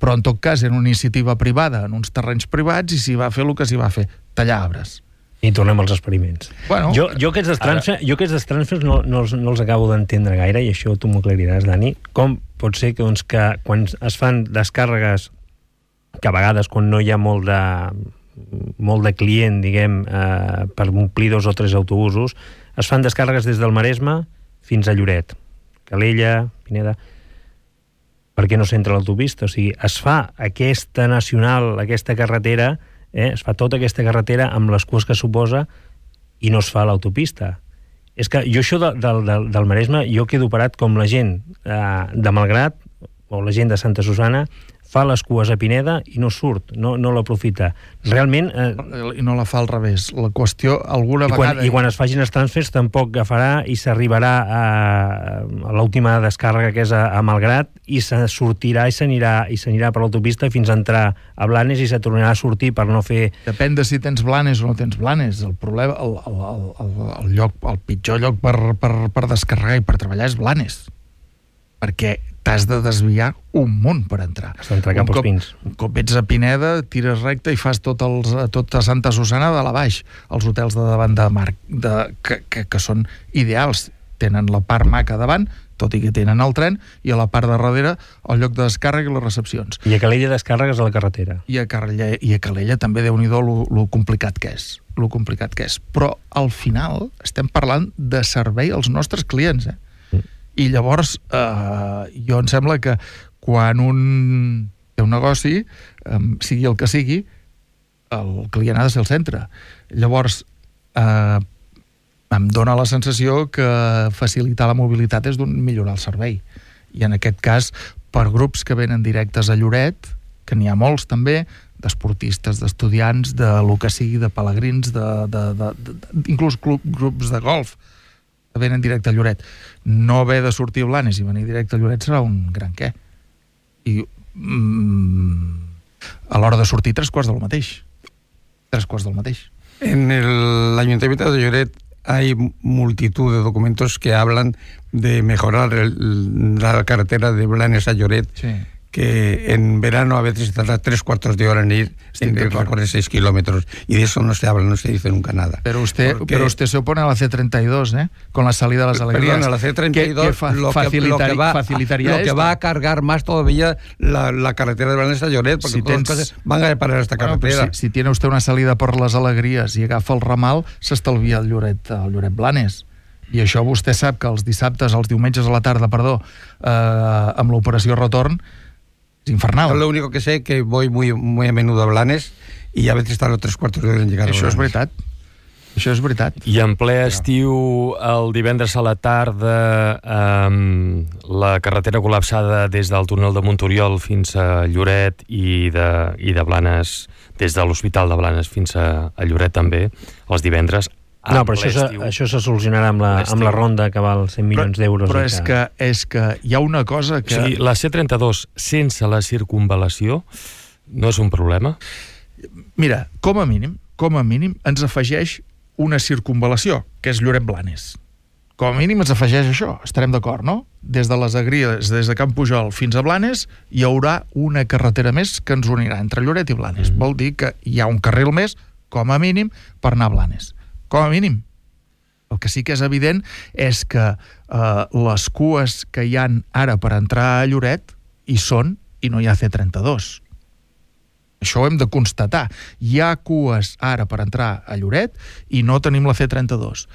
però en tot cas era una iniciativa privada en uns terrenys privats i s'hi va fer el que s'hi va fer, tallar arbres. I tornem als experiments. Bueno, jo aquests transfers no els acabo d'entendre gaire, i això tu m'ho aclariràs, Dani. Com pot ser que quan es fan descàrregues, que a vegades quan no hi ha molt de client, diguem, per omplir 2 o 3 autobusos, es fan descàrregues des del Maresme fins a Lloret, Calella, Pineda. Per què no s'entra l'autopista? O sigui, es fa aquesta nacional, aquesta carretera, es fa tota aquesta carretera amb les cues que suposa i no es fa l'autopista. És que jo això del Maresme, jo quedo parat com la gent de Malgrat o la gent de Santa Susana fa les cues a Pineda i no surt, no l'aprofita. Realment... I no la fa al revés. La qüestió, alguna vegada... I quan es facin els transfers tampoc agafarà i s'arribarà a l'última descàrrega, que és a Malgrat, i se sortirà i s'anirà per l'autopista fins a entrar a Blanes i se tornarà a sortir per no fer... Depèn de si tens Blanes o no tens Blanes. El problema, el pitjor lloc per descarregar i per treballar és Blanes. Perquè t'has de desviar un munt per entrar. Has d'entrar cap als pins. Un cop ets a Pineda, tires recte i fas tota Santa Susana de la baix. Els hotels de davant de mar, que són ideals. Tenen la part maca davant, tot i que tenen el tren, i a la part de darrere el lloc de descàrrega i les recepcions. I a Calella descàrregues a la carretera. I a Calella també, Déu-n'hi-do, lo complicat que és. Però al final estem parlant de servei als nostres clients, I llavors, jo em sembla que quan un té un negoci, sigui el que sigui, el client ha de ser el centre. Llavors, em dóna la sensació que facilitar la mobilitat és millorar el servei. I en aquest cas, per grups que venen directes a Lloret, que n'hi ha molts també, d'esportistes, d'estudiants, de lo que sigui, de pelegrins, inclús grups de golf, que venen directe a Lloret. No haver de sortir a Blanes i venir directe a Lloret serà un gran què. I a l'hora de sortir 3/4 del mateix. 3/4 del mateix. En el Ayuntamiento de Lloret hay multitud de documentos que hablan de mejorar la carretera de Blanes a Lloret, sí, que en verano a veces tarda 3/4 de hora en ir, en recorrer 6 kilómetros, y de eso no se habla, no se dice nunca nada. Pero usted se opone a la C32, con la salida de las Alegrías. Perdón, a la C32 facilitaría lo que va a cargar más todavía la carretera de Blanes a Lloret, porque todas las cosas van a parar esta carretera. Pues si tiene usted una salida por las Alegrías i agafa el ramal, s'estalvia el Lloret-Blanes. I això vostè sap que els diumenges a la tarda, amb l'operació retorn, es infernal. Yo lo único que sé es que voy muy a menudo a Blanes y a veces tardo 3/4 de hora en llegar a Blanes. Això és veritat. Això és veritat. I en ple estiu, el divendres a la tarda, la carretera col·lapsada des del túnel de Montoriol fins a Lloret i de Blanes, des de l'Hospital de Blanes fins a Lloret també, els divendres. No, però això se solucionarà amb la ronda que val 100 milions d'euros. Però és que hi ha una cosa que... O sigui, la C32 sense la circunvalació no és un problema? Mira, com a mínim, ens afegeix una circunvalació, que és Lloret-Blanes. Com a mínim ens afegeix això, estarem d'acord, no? Des de les Agrides, des de Camp Pujol fins a Blanes, hi haurà una carretera més que ens unirà entre Lloret i Blanes. Vol dir que hi ha un carril més, com a mínim, per anar a Blanes. Com a mínim. El que sí que és evident és que les cues que hi han ara per entrar a Lloret hi són i no hi ha C32. Això ho hem de constatar. Hi ha cues ara per entrar a Lloret i no tenim la C32.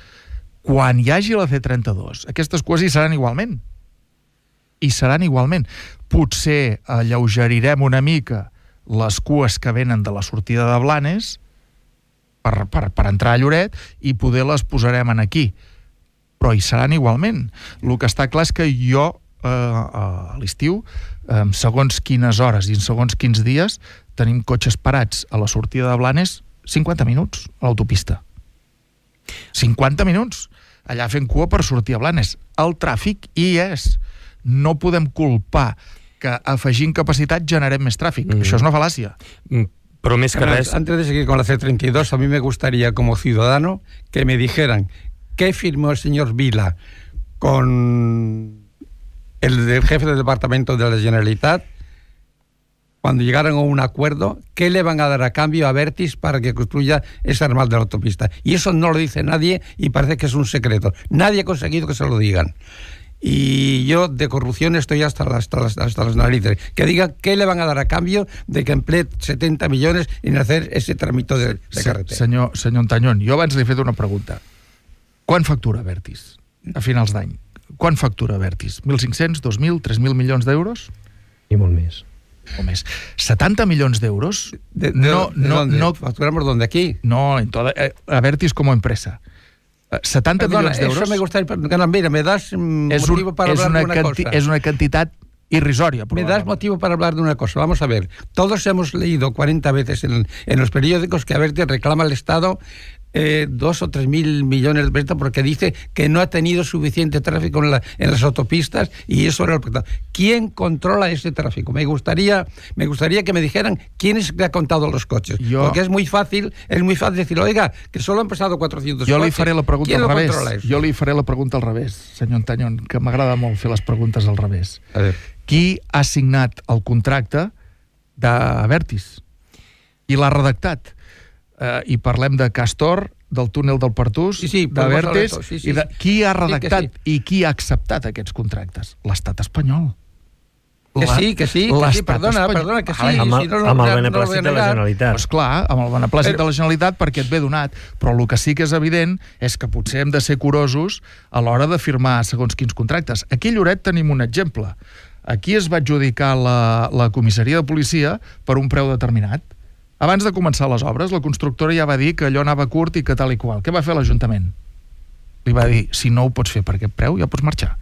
Quan hi hagi la C32, aquestes cues hi seran igualment. Hi seran igualment. Potser alleugerirem una mica les cues que venen de la sortida de Blanes per entrar a Lloret i poder les posarem aquí. Però hi seran igualment. El que està clar és que jo a l'estiu, segons quines hores i en segons quins dies, tenim cotxes parats a la sortida de Blanes 50 minuts a l'autopista. 50 minuts allà fent cua per sortir a Blanes. El tràfic hi és. No podem culpar que afegint capacitat generem més tràfic. Això és una fal·làcia. Pero més que res... Antes de seguir con la C32, a mí me gustaría, como ciudadano, que me dijeran qué firmó el señor Vila con el jefe del departamento de la Generalitat cuando llegaron a un acuerdo, ¿qué le van a dar a cambio a Abertis para que construya ese ramal de la autopista? Y eso no lo dice nadie y parece que es un secreto. Nadie ha conseguido que se lo digan. Y yo de corrupción estoy hasta las narices. Que digan qué le van a dar a cambio de que emplee 70 millones en hacer ese tramito de carretera. Senyor Antanyón, jo abans li he fet una pregunta. Quan factura Abertis a finals d'any? Quan factura Abertis? 1.500, 2.000, 3.000 milions d'euros? I molt més. O més. 70 milions d'euros? No, ¿facturamos dónde? ¿Aquí? No, en toda, Abertis como empresa. 70 millones d'euros... Eso me gustaría... Mira, me das motivo para hablar de una cosa. Es una cantidad irrisoria. Me das motivo para hablar de una cosa. Vamos a ver. Todos hemos leído 40 veces en los periódicos que Abertis reclama al Estado 2 o 3 mil millones de pesos porque dice que no ha tenido suficiente tráfico en las autopistas y eso era el problema. ¿Quién controla ese tráfico? Me gustaría que me dijeran quién es que ha contado los coches. Porque es muy fácil decir, oiga, que solo han pasado 400 jo coches. Li faré la pregunta ¿Quién al lo revés? controla eso? Jo li faré la pregunta al revés, senyor Antanyón, que m'agrada molt fer les preguntes al revés. A ver. Qui ha signat el contracte d'Abertis? I l'ha redactat? I parlem de Castor, del túnel del Pertús, d'Abertis, i de qui ha redactat i qui ha acceptat aquests contractes? L'Estat espanyol. Que sí, perdona, que sí. Amb el beneplàcit de la Generalitat. Pues clar, amb el beneplàcit de la Generalitat perquè et ve donat, però el que sí que és evident és que potser hem de ser curosos a l'hora de firmar segons quins contractes. Aquí a Lloret tenim un exemple. Aquí es va adjudicar la comissaria de policia per un preu determinat. Abans de començar les obres, la constructora ja va dir que allò anava curt i que tal i qual. Què va fer l'Ajuntament? Li va dir, si no ho pots fer per aquest preu, ja pots marxar.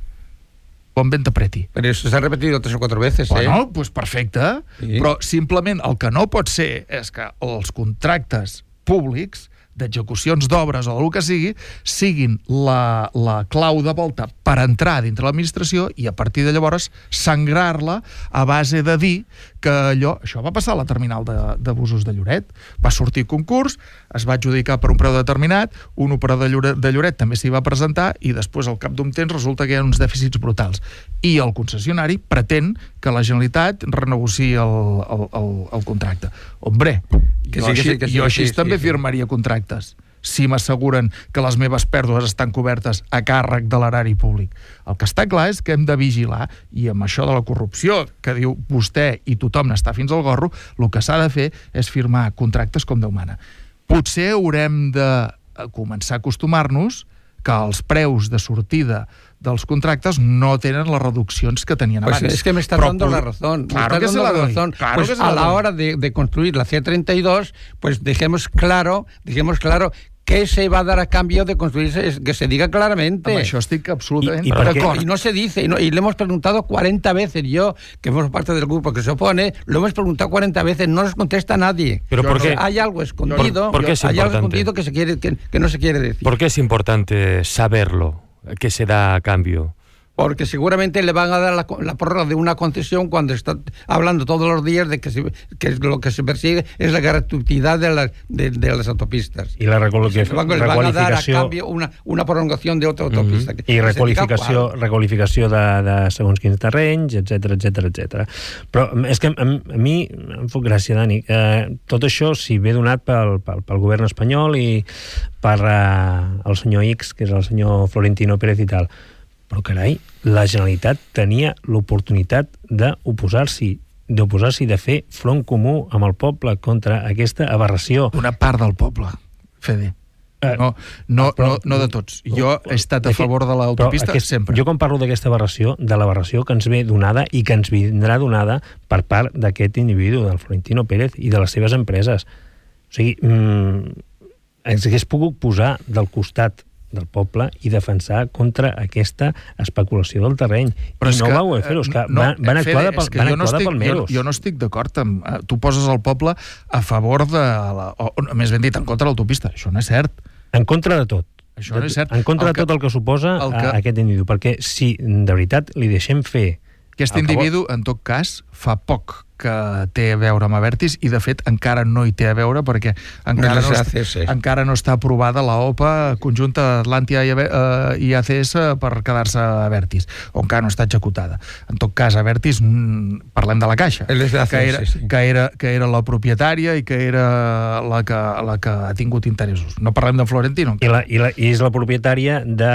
Bon vent apreti. Pero eso se ha repetido 3 o 4 veces, Bueno, pues perfecte. Sí. Però simplement el que no pot ser és que els contractes públics d'execucions d'obres o del que sigui, siguin la clau de volta per entrar dintre l'administració i a partir de llavors sangrar-la a base de dir que allò... Això va passar a la terminal de busos de Lloret. Va sortir concurs, es va adjudicar per un preu determinat, un operador de Lloret també s'hi va presentar i després al cap d'un temps resulta que hi ha uns dèficits brutals. I el concessionari pretén que la Generalitat renegociï el contracte. Hombre, jo així també firmaria contractes si m'asseguren que les meves pèrdues estan cobertes a càrrec de l'erari públic. El que està clar és que hem de vigilar, i amb això de la corrupció que diu vostè i tothom n'està fins al gorro, el que s'ha de fer és firmar contractes com Déu mana. Potser haurem de començar a acostumar-nos que els preus de sortida dels contractes no tenen les reduccions que tenien abans. Pues es que me está dando la razón. Claro que se la doy. Claro pues a la hora de construir la C32, pues dejemos claro ¿qué se va a dar a cambio de construirse? Que se diga claramente. Amb això estic absolutament d'acord. Y no se dice, y le hemos preguntado 40 veces, yo, que formo parte del grupo que se opone, lo hemos preguntado 40 veces, no nos contesta nadie. Pero ¿por qué? Hay algo escondido, hay algo escondido que no se quiere decir. ¿Por qué es importante saberlo? ¿Qué se da a cambio? Porque seguramente le van a dar la prórroga de una concesión cuando está hablando todos los días de que lo que se persigue es la gratuidad de las autopistas. Y la requalificació... Le van a dar a cambio una prolongación de otra autopista. I requalificació de segons quins terrenys, etc. Però és que a mi em fa gràcia, Dani, tot això si ve donat pel govern espanyol i per el senyor X, que és el senyor Florentino Pérez i tal. Però, carai, la Generalitat tenia l'oportunitat d'oposar-s'hi, de fer front comú amb el poble contra aquesta aberració. Una part del poble, Fede. No de tots. Jo he estat a favor de l'autopista sempre. Jo quan parlo d'aquesta aberració, de l'aberració que ens ve donada i que ens vindrà donada per part d'aquest individu, del Florentino Pérez i de les seves empreses. O sigui, ens hagués pogut posar del costat del poble i defensar contra aquesta especulació del terreny. Però i no va voler fer-ho, és que van actuar de palmeros. Jo no estic d'acord amb... Tu poses el poble a favor de... Més ben dit, en contra de l'autopista. Això no és cert. En contra de tot. Això no és cert. En contra de tot el que suposa aquest individu. Perquè si de veritat li deixem fer... Aquest individu, en tot cas, fa poc que té a veure amb Abertis i, de fet, encara no hi té a veure perquè encara no està aprovada la OPA conjunta Atlàntia i ACS per quedar-se a Abertis, o encara no està executada. En tot cas, Abertis, parlem de la Caixa, que era la propietària i que era la que ha tingut interessos. No parlem de Florentino. I és la propietària de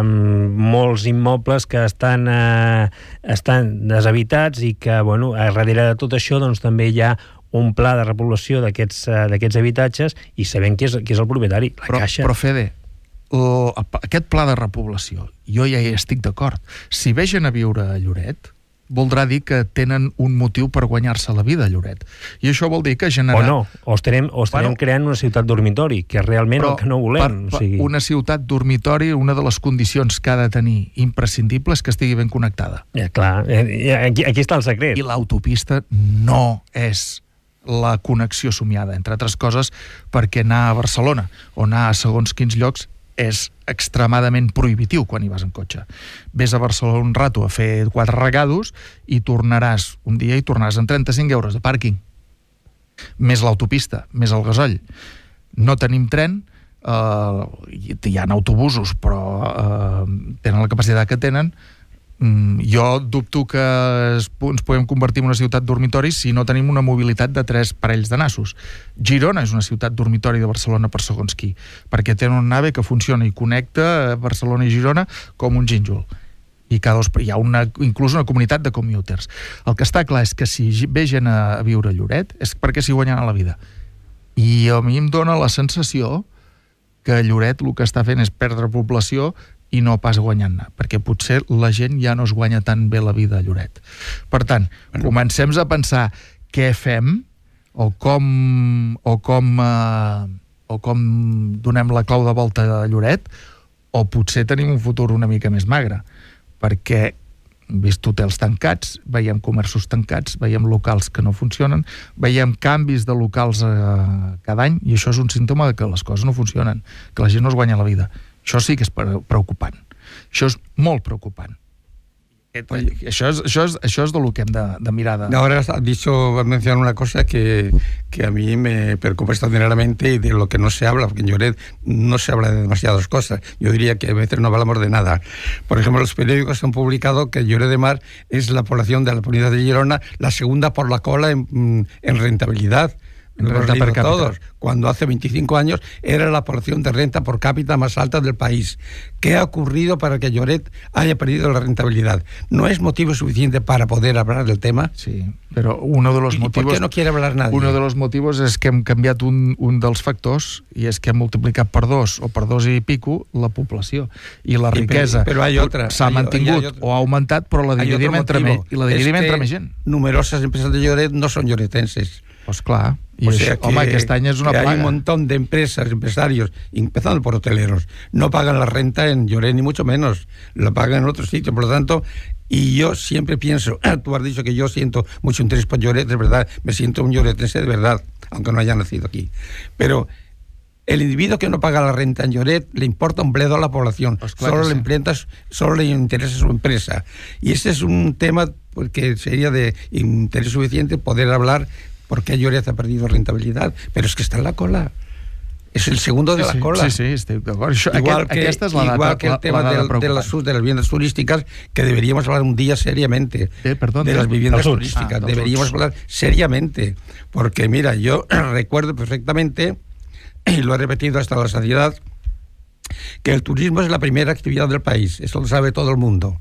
molts immobles que estan deshabitats i que, bueno, darrere de tot això doncs també hi ha un pla de repoblació d'aquests habitatges i sabem qui és el propietari, la Caixa. Però Fede, aquest pla de repoblació, jo ja hi estic d'acord. Si vegen a viure a Lloret, voldrà dir que tenen un motiu per guanyar-se la vida a Lloret. I això vol dir que generar... O estarem creant una ciutat dormitori, que és realment el que no volem. Una ciutat dormitori, una de les condicions que ha de tenir imprescindible és que estigui ben connectada. Clar, aquí està el secret. I l'autopista no és la connexió somiada, entre altres coses, perquè anar a Barcelona o anar a segons quins llocs és extremadament prohibitiu quan hi vas en cotxe. Ves a Barcelona un rato a fer 4 regados i tornaràs un dia i tornaràs amb 35 euros de pàrquing. Més l'autopista, més el gasoll. No tenim tren, hi ha autobusos, però tenen la capacitat que tenen. Jo dubto que ens podem convertir en una ciutat dormitori si no tenim una mobilitat de 3 parells de nassos. Girona és una ciutat dormitori de Barcelona per segons qui, perquè té un AVE que funciona i connecta Barcelona i Girona com un gínjol. I hi ha inclús una comunitat de commuters. El que està clar és que si vegen a viure a Lloret és perquè s'hi guanyen a la vida. I a mi em dóna la sensació que Lloret el que està fent és perdre població i no pas guanyant-ne, perquè potser la gent ja no es guanya tan bé la vida a Lloret. Per tant, comencem a pensar què fem o com donem la clau de volta a Lloret, o potser tenim un futur una mica més magre, perquè hem vist hotels tancats, veiem comerços tancats, veiem locals que no funcionen, veiem canvis de locals cada any, i això és un símptoma de que les coses no funcionen, que la gent no es guanya la vida. Això sí que és preocupant. Això és molt preocupant. Això és de lo que hem de mirar. Ahora has mencionado una cosa que a mí me preocupa extraordinariamente y de lo que no se habla, porque en Lloret no se habla de demasiadas cosas. Yo diría que a veces no hablamos de nada. Por ejemplo, los periódicos han publicado que Lloret de Mar es la población de la provincia de Girona la segunda por la cola en rentabilidad. Renta per cápita. Todos, cuando hace 25 años era la porción de renta por cápita más alta del país. ¿Qué ha ocurrido para que Lloret haya perdido la rentabilidad? ¿No es motivo suficiente para poder hablar del tema? Sí, però uno de los motivos... ¿Por qué no quiere hablar nadie? Uno de los motivos és que hem canviat un dels factors i és que hem multiplicat per 2 o per 2 i pico la població. I la riquesa s'ha mantingut o ha augmentat, però la dividim entre més gent. Numerosas empresas de Lloret no son lloretenses. Pues clar. O sea que, aquest any és una plaga. Hay un montón de empresarios, empezando por hoteleros, no pagan la renta en Lloret, ni mucho menos, la pagan en otros sitios. Por lo tanto, y yo siempre pienso, tú has dicho que yo siento mucho interés por Lloret, es verdad, me siento un lloretense de verdad, aunque no haya nacido aquí. Pero el individuo que no paga la renta en Lloret le importa un bledo a la población, pues claro, solo le interesa su empresa. Y ese es un tema que sería de interés suficiente poder hablar. Porque Lloret ha perdido rentabilidad, pero es que está en la cola. Es el segundo de la cola. Sí, estic d'acord. Igual que el tema de las viviendas turísticas, que deberíamos hablar un día seriamente. De las viviendas turísticas. Deberíamos hablar seriamente. Porque, mira, yo recuerdo perfectamente, y lo he repetido hasta la saciedad, que el turismo es la primera actividad del país. Eso lo sabe todo el mundo.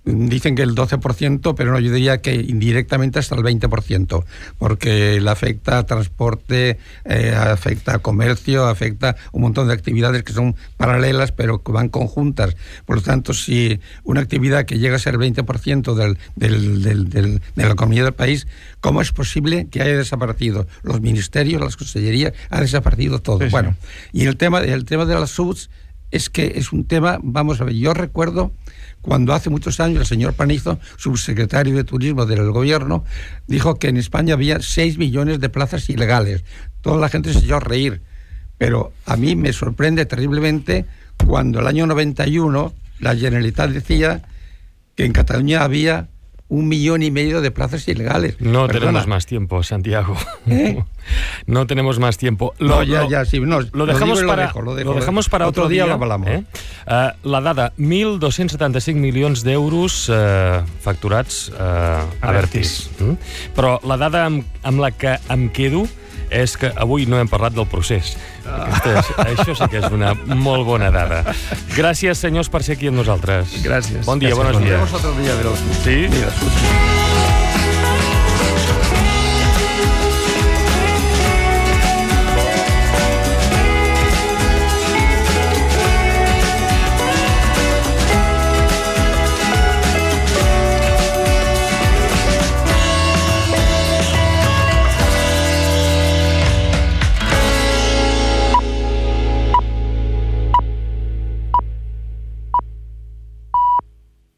Dicen que el 12%, pero no, yo diría que indirectamente hasta el 20%, porque le afecta a transporte, afecta a comercio, afecta un montón de actividades que son paralelas, pero que van conjuntas. Por lo tanto, si una actividad que llega a ser el 20% de la economía del país, ¿cómo es posible que haya desaparecido? Los ministerios, las consellerías, ha desaparecido todo. Sí, bueno, sí. Y el tema de las subs es que es un tema, vamos a ver, yo recuerdo cuando hace muchos años el señor Panizo, subsecretario de Turismo del gobierno, dijo que en España había 6 millones de plazas ilegales. Toda la gente se echó a reír. Pero a mí me sorprende terriblemente cuando el año 91 la Generalitat decía que en Cataluña había 1,5 millones de plazas ilegales. No tenemos más tiempo, Santiago. No tenemos más tiempo. Lo dejamos para otro día. Lo hablamos. La dada, 1.275 milions d'euros facturats a Abertis. Però la dada amb la que em quedo és que avui no hem parlat del procés. Això sí que és una molt bona dada. Gràcies, senyors, per ser aquí amb nosaltres. Gràcies. Bon dia, gràcies, buenos días. Otro día de los... Sí? Mira,